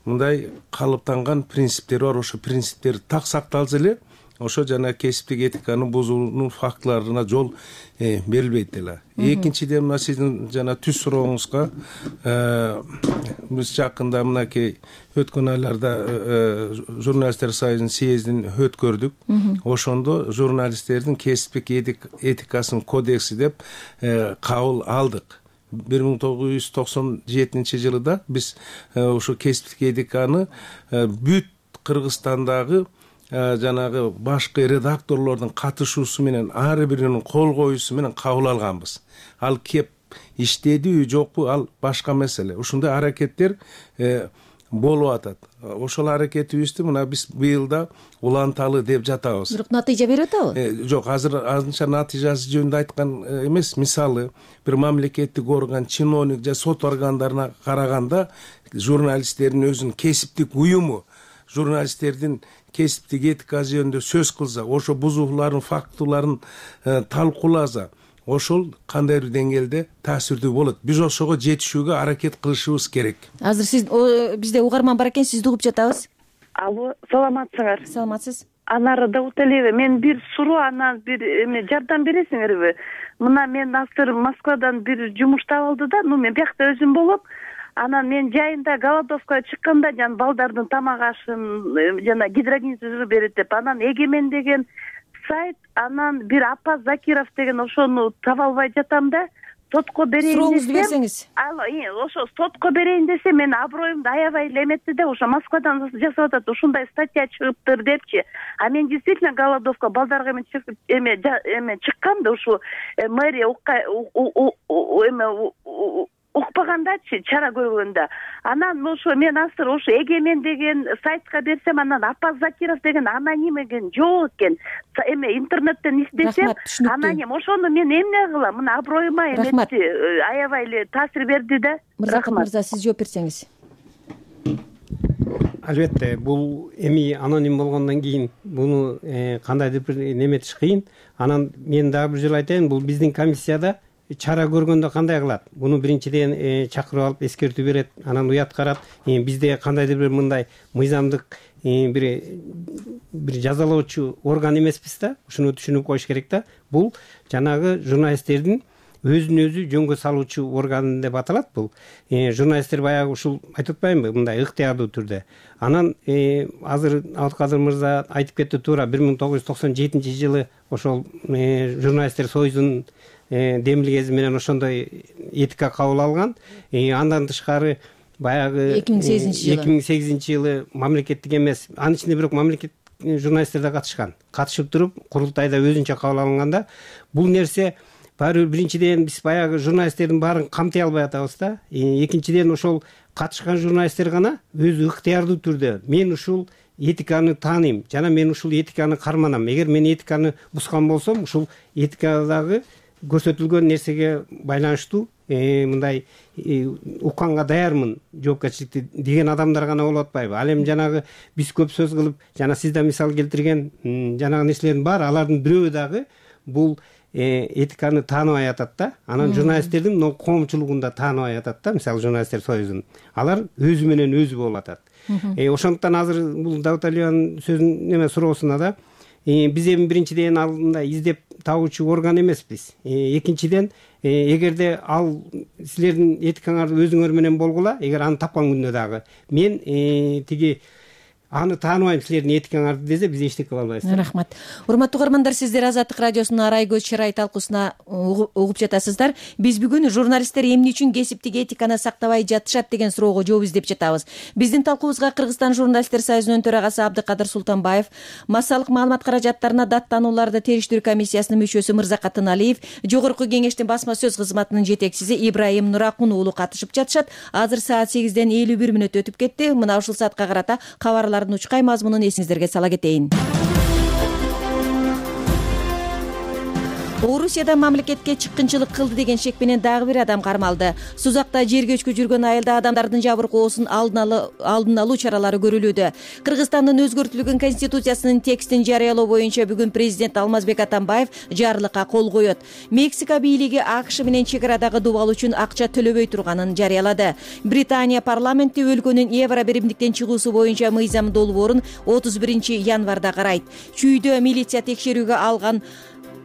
мындай калыптанган принциптери бар. Ошо принциптер так сакталса эле ошо жана кесиптик этиканы бузуунун фактыларына жол берилбейт эле. Экинчиден мына сиздин жана түз сурооңузга биз жакында мынакей өткөн айларда журналисттер союзунун съездин өткөрдүк. Ошондо журналисттердин кесиптик этикасынын кодекси деп кабыл алдык. 1997 жылыда биз ошо кесиптик этиканы бүт Кыргызстандагы жанагы башкы редакторлордун катышуусу менен ар биринин кол коюусу менен кабыл алганбыз. Ал кеп иштедиби жокпу, ал башка маселе. Ушундай аракеттер болуп атат. Ошол аракетибизди мына биз быйылда уланталы деп жатабыз. Бирок натыйжа берип атабы? Жок, азыр азырынча натыйжасы жөнүндө айткан эмес. Мисалы, бир мамлекеттик орган, чиновник же сот органдарына караганда журналисттердин өзүнүн кесиптик уюму журналисттердин кесиптик этикасы жөнүндө сөз кылса, ошо бузуулардын фактыларын талкууласа, ошол кандайдыр деңгээлде таасирдүү болот. Биз ошого жетишүүгө аракет кылышыбыз керек. Азыр сиз бизде угарман бар экен, сизди угуп жатабыз. Алло, саламатсыңар? Саламатсыз. Анары Дауталиева, мен бир суроо, анан бир жардам бересиңерби? Мына мен азыр Москвадан бир жумуш таап алды да, мен биякта өзүм болуп, анан мен жайында голодовка чыкканда жана балдардын тамак ашын жана гидрогенизм берет деп, анан Эгемен деген сайт, анан бир Апаз Закиров деген ошону таба албай жатам да. Сотко берейин сурооңузду берсеңиз. Ошо сотко берейин десе мен аброюмду аябай эле эметти да, ошо Москвадан жасап атат, ушундай статья чыгыптыр депчи. А мен действительно голодовка балдарга чыккан да, ушу мэрия укпагандачы, чара көргөндө. Анан ошо мен азыр ошо Эгемен деген сайтка берсем, анан Апаз Закиров деген аноним экен, жок экен. Интернеттен издесем, аноним. Ошону мен эмне кылам? Мына аброюма эметти, аябай эле таасир берди да. Мырзакат мырза, сиз жооп берсеңиз. Албетте, бул эми аноним болгондон кийин буну кандайдыр бир неметиш кыйын. Анан мен дагы бир жолу айтайын, бул биздин комиссияда чара көргөндө кандай кылат? Буну биринчиден чакырып алып эскертүү берет, анан уят карап, бизде кандайдыр бир мындай мыйзамдык бир жазалоочу орган эмеспиз да, ушуну түшүнүп коюш керек да. Бул жанагы журналисттердин өзүн өзү жөнгө салуучу орган деп аталат бул. Журналисттер баягы ушул айтып атпаймынбы, мындай ыктыярдуу түрдө. Анан азыр Абдыкадыр мырза айтып кетти туура, 1997-жылы ошол журналисттер союзунун демилгеси менен ошондой этика кабыл алган. Андан тышкары баягы 2008-жылы мамлекеттик эмес, анын ичинде бирок мамлекет журналисттер да катышып туруп, курултайда өзүнчө кабыл алынганда, бул нерсе баары биринчиден биз баягы журналисттердин баарын камтый албай атабыз да. Экинчиден ошол катышкан журналисттер гана өзү ыктыярдуу түрдө мен ушул этиканы тааныйм жана мен ушул этиканы карманам. Эгер мен этиканы бускан болсом, ушул этикадагы көрсөтүлгөн нерсеге байланыштуу мындай укканга даярмын жоопкерчиликти деген адамдар гана болуп атпайбы? Ал эми жанагы биз көп сөз кылып, жана сиз да мисал келтирген жанагы нерселердин баары, алардын бирөө дагы бул этиканы тааныбай атат да. Анан журналисттердин коомчулугунда тааныбай атат да, мисалы журналисттер союзун. Алар өзү менен өзү болуп атат. Ошондуктан азыр бул Давуталиянын сөзүн эме суроосуна да биз эми биринчиден алдында издеп табуучу орган эмеспиз. Экинчиден, эгерде ал силердин этикаңар өзүңөр менен болгула, эгер аны тапкан күндө дагы мен тиги аны тааныбайм силердин этикаңарды десе, биз эчтеке кыла албайбыз. Рахмат. Урматтуу угармандар, сиздер Азаттык радиосунун Арай көз чырай талкуусуна угуп жатасыздар. Биз бүгүн журналисттер эмне үчүн кесиптик этиканы сактабай жатышат деген суроого жооп издеп жатабыз. Биздин талкуубузга Кыргызстан журналисттер союзунун төрагасы Абдыкадыр Султанбаев, массалык маалымат каражаттарына даттанууларды териштирүү комиссиясынын мүчөсү Мырзакат Ыналиев, жогорку кеңештин басма сөз кызматынын жетекчиси Ибраим Нуракун уулу катышып жатышат. Азыр саат 8ден 51 мүнөт өтүп кетти. Мына ушул саатка карата кабарлар учкай мазмунун эсиңиздерге сала кетейин. Орусияда мамлекетке чыккынчылык кылды деген шек менен дагы бир адам кармалды. Сузакта жер көчкү жүргөн айылда адамдардын жабыркоосун алдын алуу чаралары көрүлүүдө. Кыргызстандын өзгөртүлгөн конституциясынын текстин жарыялоо боюнча бүгүн президент Алмазбек Атамбаев жарлыкка кол коет. Мексика бийлиги АКШ менен чек арадагы дубал үчүн акча төлөбөй турганын жарыялады. Британия парламенти өлкөнүн Евро биримдиктен чыгуусу боюнча мыйзам долбоорун 31-январда карайт. Чүйдө милиция текшерүүгө алган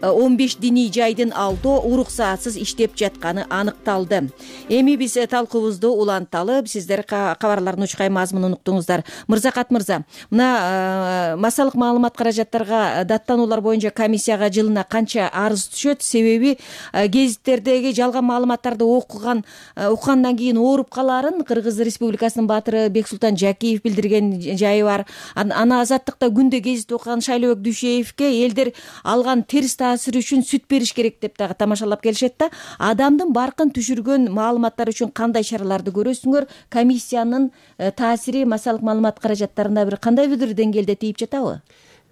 15 диний жайдын алдоо уруксатсыз иштеп жатканы аныкталды. Эми биз талкуубузду уланталы, сиздер кабарлардын учкай мазмунун уктуңуздар. Мырзакат мырза, мына массалык маалымат каражаттарга даттануулар боюнча комиссияга жылына канча арыз түшөт? Себеби гезиттердеги жалган маалыматтарды уккандан кийин ооруп каларын Кыргыз Республикасынын баатыры Бексултан Жакиев билдирген жайы бар. Аны Азаттыкта күндө гезит окуган Шайлообек Дүйшеевке элдер алган терс таасир үчүн сүт бериш керек деп дагы тамашалап келишет да. Адамдын баркын түшүргөн маалыматтар үчүн кандай чараларды көрөсүңөр? Комиссиянын таасири массалык маалымат каражаттарына бир кандайдыр деңгээлде тийип жатабы?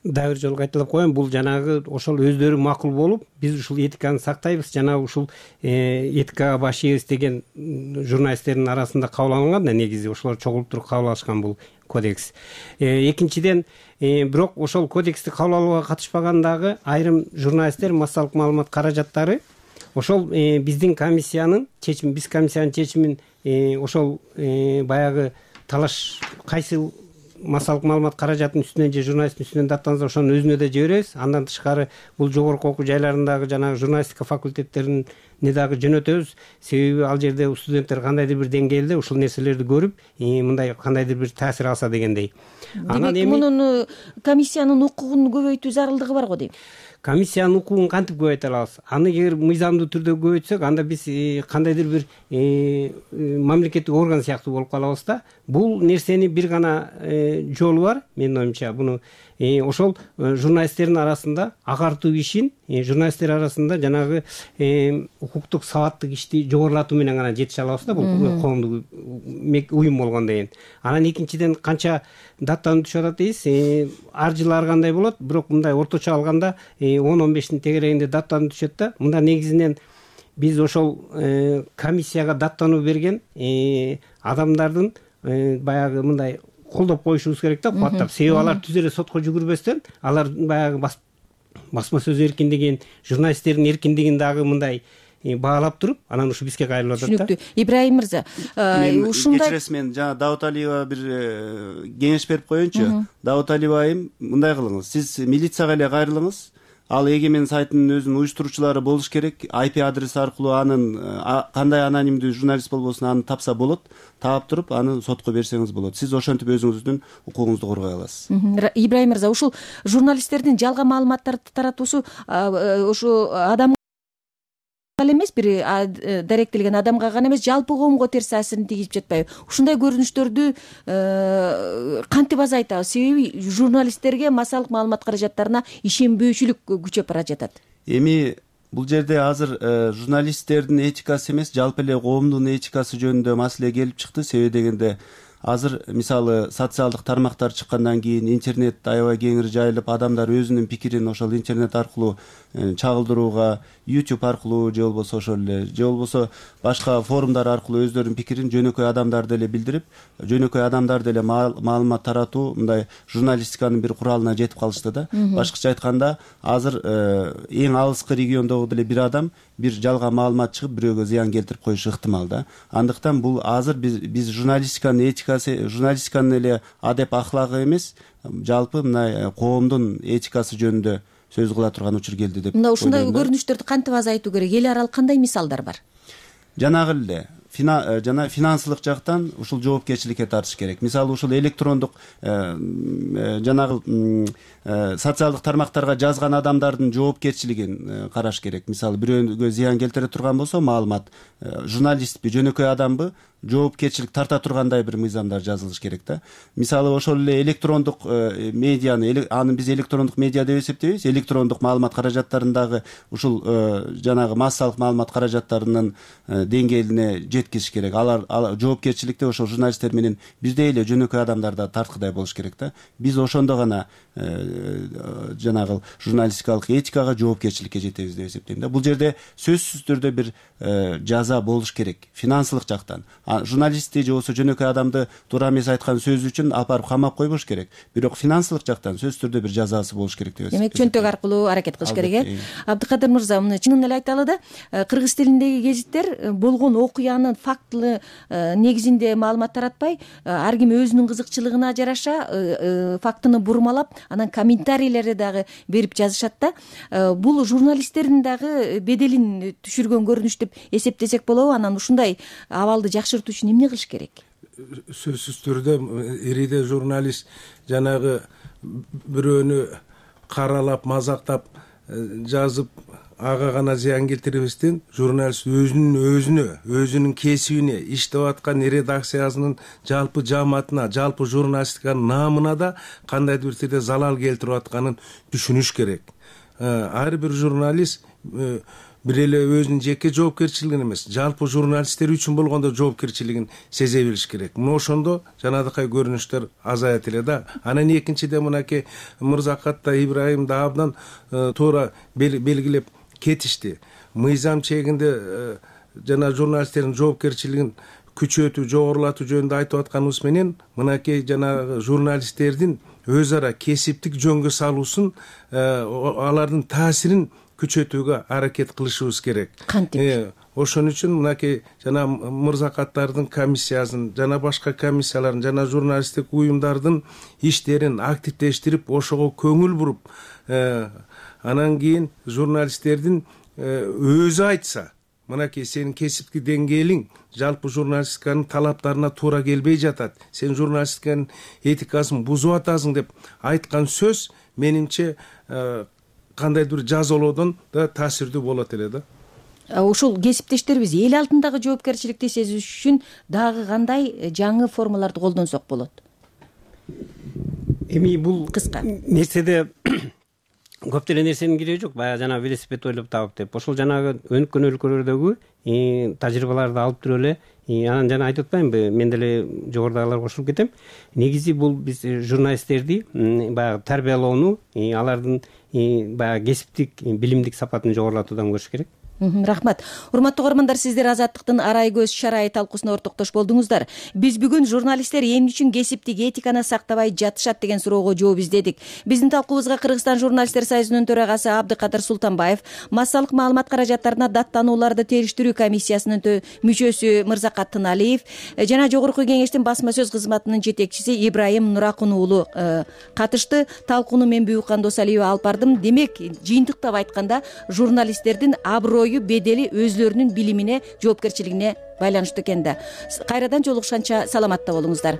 Дагы бир жолу кайталап коеюн, бул жанагы ошол өздөрү макул болуп, биз ушул этиканы сактайбыз, жана ушул этикага баш ийебиз деген журналисттердин арасында кабыл алынган да, негизи ошолор чогулуп туруп кабыл алышкан бул кодекс. Экинчиден, бирок ошол кодексти кабыл алууга катышпаган дагы айрым журналисттер, массалык маалымат каражаттары ошол биздин комиссиянын чечими, биз комиссиянын чечимин ошол баягы талаш кайсы массалык маалымат каражатынын үстүнөн же журналисттин үстүнөн даттанса ошонун өзүнө да жиберебиз. Андан тышкары бул жогорку окуу жайларындагы жанагы журналистика факультеттеринин эмне дагы жөнөтөбүз. Себеби ал жерде студенттер кандайдыр бир деңгээлде ушул нерселерди көрүп, мындай кандайдыр бир таасир алса дегендей. Демек мунун комиссиянын укугун көбөйтүү зарылдыгы бар го дейм. Комиссиянын укугун кантип көбөйтө алабыз? Аны эгер мыйзамдуу түрдө көбөйтсөк, анда биз кандайдыр бир мамлекеттик орган сыяктуу болуп калабыз да. Бул нерсени бир гана жолу бар, менин оюмча. Буну ошол журналисттердин арасында агартуу ишин, журналисттер арасында жанагы укуктук сабаттык ишти жогорулатуу менен гана жетише алабыз да, бул коомдук уюм болгондон кийин. Анан экинчиден канча даттануу түшүп атат дейсиз, ар жылы ар кандай болот, бирок мындай орточо алганда 10-15 тегерегинде даттануу түшөт да. Мында негизинен биз ошол комиссияга даттануу берген адамдардын баягы мындай колдоп коюшубуз керек да, кубаттап. Себеби алар түз эле сотко жүгүрбөстөн, алар баягы басма сөз эркиндигин, журналисттердин эркиндигин дагы мындай баалап туруп, анан ушу бизге кайрылып атат да. Түшүнүктүү. Ибраим мырза, ушундай кечиресиз, мен жана Даут Алиева бир кеңеш берип коеюнчу. Даут Алиева айым, мындай кылыңыз. Сиз милицияга эле кайрылыңыз. Ал Эгемен сайтынын өзүнүн уюштуруучулары болуш керек. IP адрес аркылуу анын кандай анонимдүү журналист болбосун аны тапса болот. Таап туруп, аны сотко берсеңиз болот. Сиз ошентип өзүңүздүн укугуңузду коргой аласыз. Ибраим мырза, ушул журналисттердин жалган маалыматтарды таратуусу ушу адам эмес, бир даректелген адамга гана эмес, жалпы коомго терс таасирин тийгизип жатпайбы? Ушундай көрүнүштөрдү кантип азайтабыз? Себеби журналисттерге массалык маалымат каражаттарына ишенбөөчүлүк күчөп бара жатат. Эми бул жерде азыр журналисттердин этикасы эмес, жалпы эле коомдун этикасы жөнүндө маселе келип чыкты. Себеби дегенде азыр мисалы социалдык тармактар чыккандан кийин интернет аябай кеңири жайылып, адамдар өзүнүн пикирин ошол интернет аркылуу чагылдырууга, YouTube аркылуу же болбосо ошол эле, же болбосо башка форумдар аркылуу өздөрүнүн пикирин жөнөкөй адамдар деле билдирип, жөнөкөй адамдар деле маалымат таратуу мындай журналистиканын бир куралына жетип калышты да. Башкача айтканда, азыр эң алыскы региондогу деле бир адам бир жалган маалымат чыгып, бирөөгө зыян келтирип коюшу ыктымал да. Андыктан бул азыр биз журналистиканын этикасы, журналистиканын эле адеп ахлагы эмес, жалпы мындай коомдун этикасы жөнүндө сөз кыла турган учур келди деп. Мында ушундай көрүнүштөрдү кантип азайтуу керек? Эл аралык кандай мисалдар бар? Жанагы эле жана финансылык жактан ушул жоопкерчиликке тартыш керек. Мисалы ушул электрондук жанагы социалдык тармактарга жазган адамдардын жоопкерчилигин караш керек. Мисалы бирөөгө зыян келтире турган болсо маалымат, журналистпи, жөнөкөй адамбы, жоопкерчилик тарта тургандай бир мыйзамдар жазылыш керек да. Мисалы ошол эле электрондук медианы, аны биз электрондук медиа деп эсептейбиз. Электрондук маалымат каражаттарындагы ушул жанагы массалык маалымат каражаттарынын деңгээлине жеткизиш керек. Алар жоопкерчиликте ошол журналисттер менен бирдей эле жөнөкөй адамдар да тарткыдай болуш керек да. Биз ошондо гана жанагы журналистикалык этикага, жоопкерчиликке жетебиз деп эсептейм да. Бул жерде сөзсүз түрдө бир жаза болуш керек финансылык жактан. Журналистти же болбосо жөнөкөй адамды туура эмес айткан сөзү үчүн алып барып камап койбош керек. Бирок финансылык жактан сөзсүз түрдө бир жазасы болуш керек деп эсептейм. Демек чөнтөк аркылуу аракет кылыш керек, Абдыкадыр мырза, муну чынын эле айталы да, кыргыз тилиндеги гезиттер болгон окуянын фактылы негизинде маалымат таратпай, ар ким өзүнүн кызыкчылыгына жараша фактыны бурмалап, анан комментарийлерди дагы берип жазышат да. Бул журналисттердин дагы беделин түшүргөн көрүнүш деп эсептесек болобу? Анан ушундай абалды жакшыртуу үчүн эмне кылыш керек? Сөзсүз түрдө ириде журналист жанагы бирөөнү каралап, мазактап жазып, ага гана зыян келтирбестен, журналист өзүнүн кесибине, иштеп аткан редакциясынын жалпы жааматына, жалпы журналистиканын наамына да кандайдыр бир түрдө залал келтирип атканын түшүнүш керек. Ар бир журналист бир эле өзүнүн жеке жоопкерчилигин эмес, жалпы журналисттер үчүн болгондо жоопкерчилигин сезе билиш керек. Мына ошондо жанагындай көрүнүштөр азаят эле да. Анан экинчиден мынакей Мырзакат да, Ибраим да абдан туура белгилеп кетишти. Мыйзам чегинде жана журналисттердин жоопкерчилигин күчөтүү, жогорулатуу жөнүндө айтып атканыбыз менен, мынакей жана журналисттердин өз ара кесиптик жөнгө салуусун, алардын таасирин күчөтүүгө аракет кылышыбыз керек. Кантип? Ошон үчүн мынакей жана мырзакаттардын комиссиясын, жана башка комиссиялардын, жана журналисттик уюмдардын иштерин активдештирип, ошого көңүл буруп, анан кийин журналисттердин өзү айтса, мынакей сенин кесиптик деңгээлиң жалпы журналистиканын талаптарына туура келбей жатат, сен журналистиканын этикасын бузуп атасың деп айткан сөз менимче кандайдыр бир жазалоодон да таасирдүү болот эле да. Ушул кесиптештерибиз эл алдындагы жоопкерчиликти сезиш үчүн дагы кандай жаңы формаларды колдонсок болот? Эми бул кыска нерседе көптөгөн нерсенин кереги жок. Баягы жана велосипед ойлоп табып деп. Ошол жанагы өнүккөн өлкөлөрдөгү тажрыйбаларды алып туруп эле, анан жана айтып атпаймынбы, мен деле жогорудагыларга кошулуп кетем. Негизи бул биз журналисттерди баягы тарбиялоону, алардын баягы кесиптик, билимдик сапатын жогорулатуудан көрүш керек. Рахмат. Урматтуу көрөрмандар, сиздер Азаттыктын арай көз шарай талкуусуна ортоктош болдуңуздар. Биз бүгүн журналисттер эмне үчүн кесиптик этиканы сактабай жатышат деген суроого жооп издедик. Биздин талкуубузга Кыргызстан журналисттер союзунун төрагасы Абдыкадыр Султанбаев, массалык маалымат каражаттарына даттанууларды териштирүү комиссиясынын мүчөсү Мырзакат Тыналиев жана Жогорку Кеңештин басма сөз кызматынын жетекчиси Ибрайым Нуракун уулу катышты. Талкууну мен Бүйүккан Досалиева алып бардым. Демек, жыйынтыктап айтканда, журналисттердин аброю, бедели өзлөрүнүн билимине, жоопкерчилигине байланыштуу экен да. Кайрадан жолугушканча саламатта болуңуздар.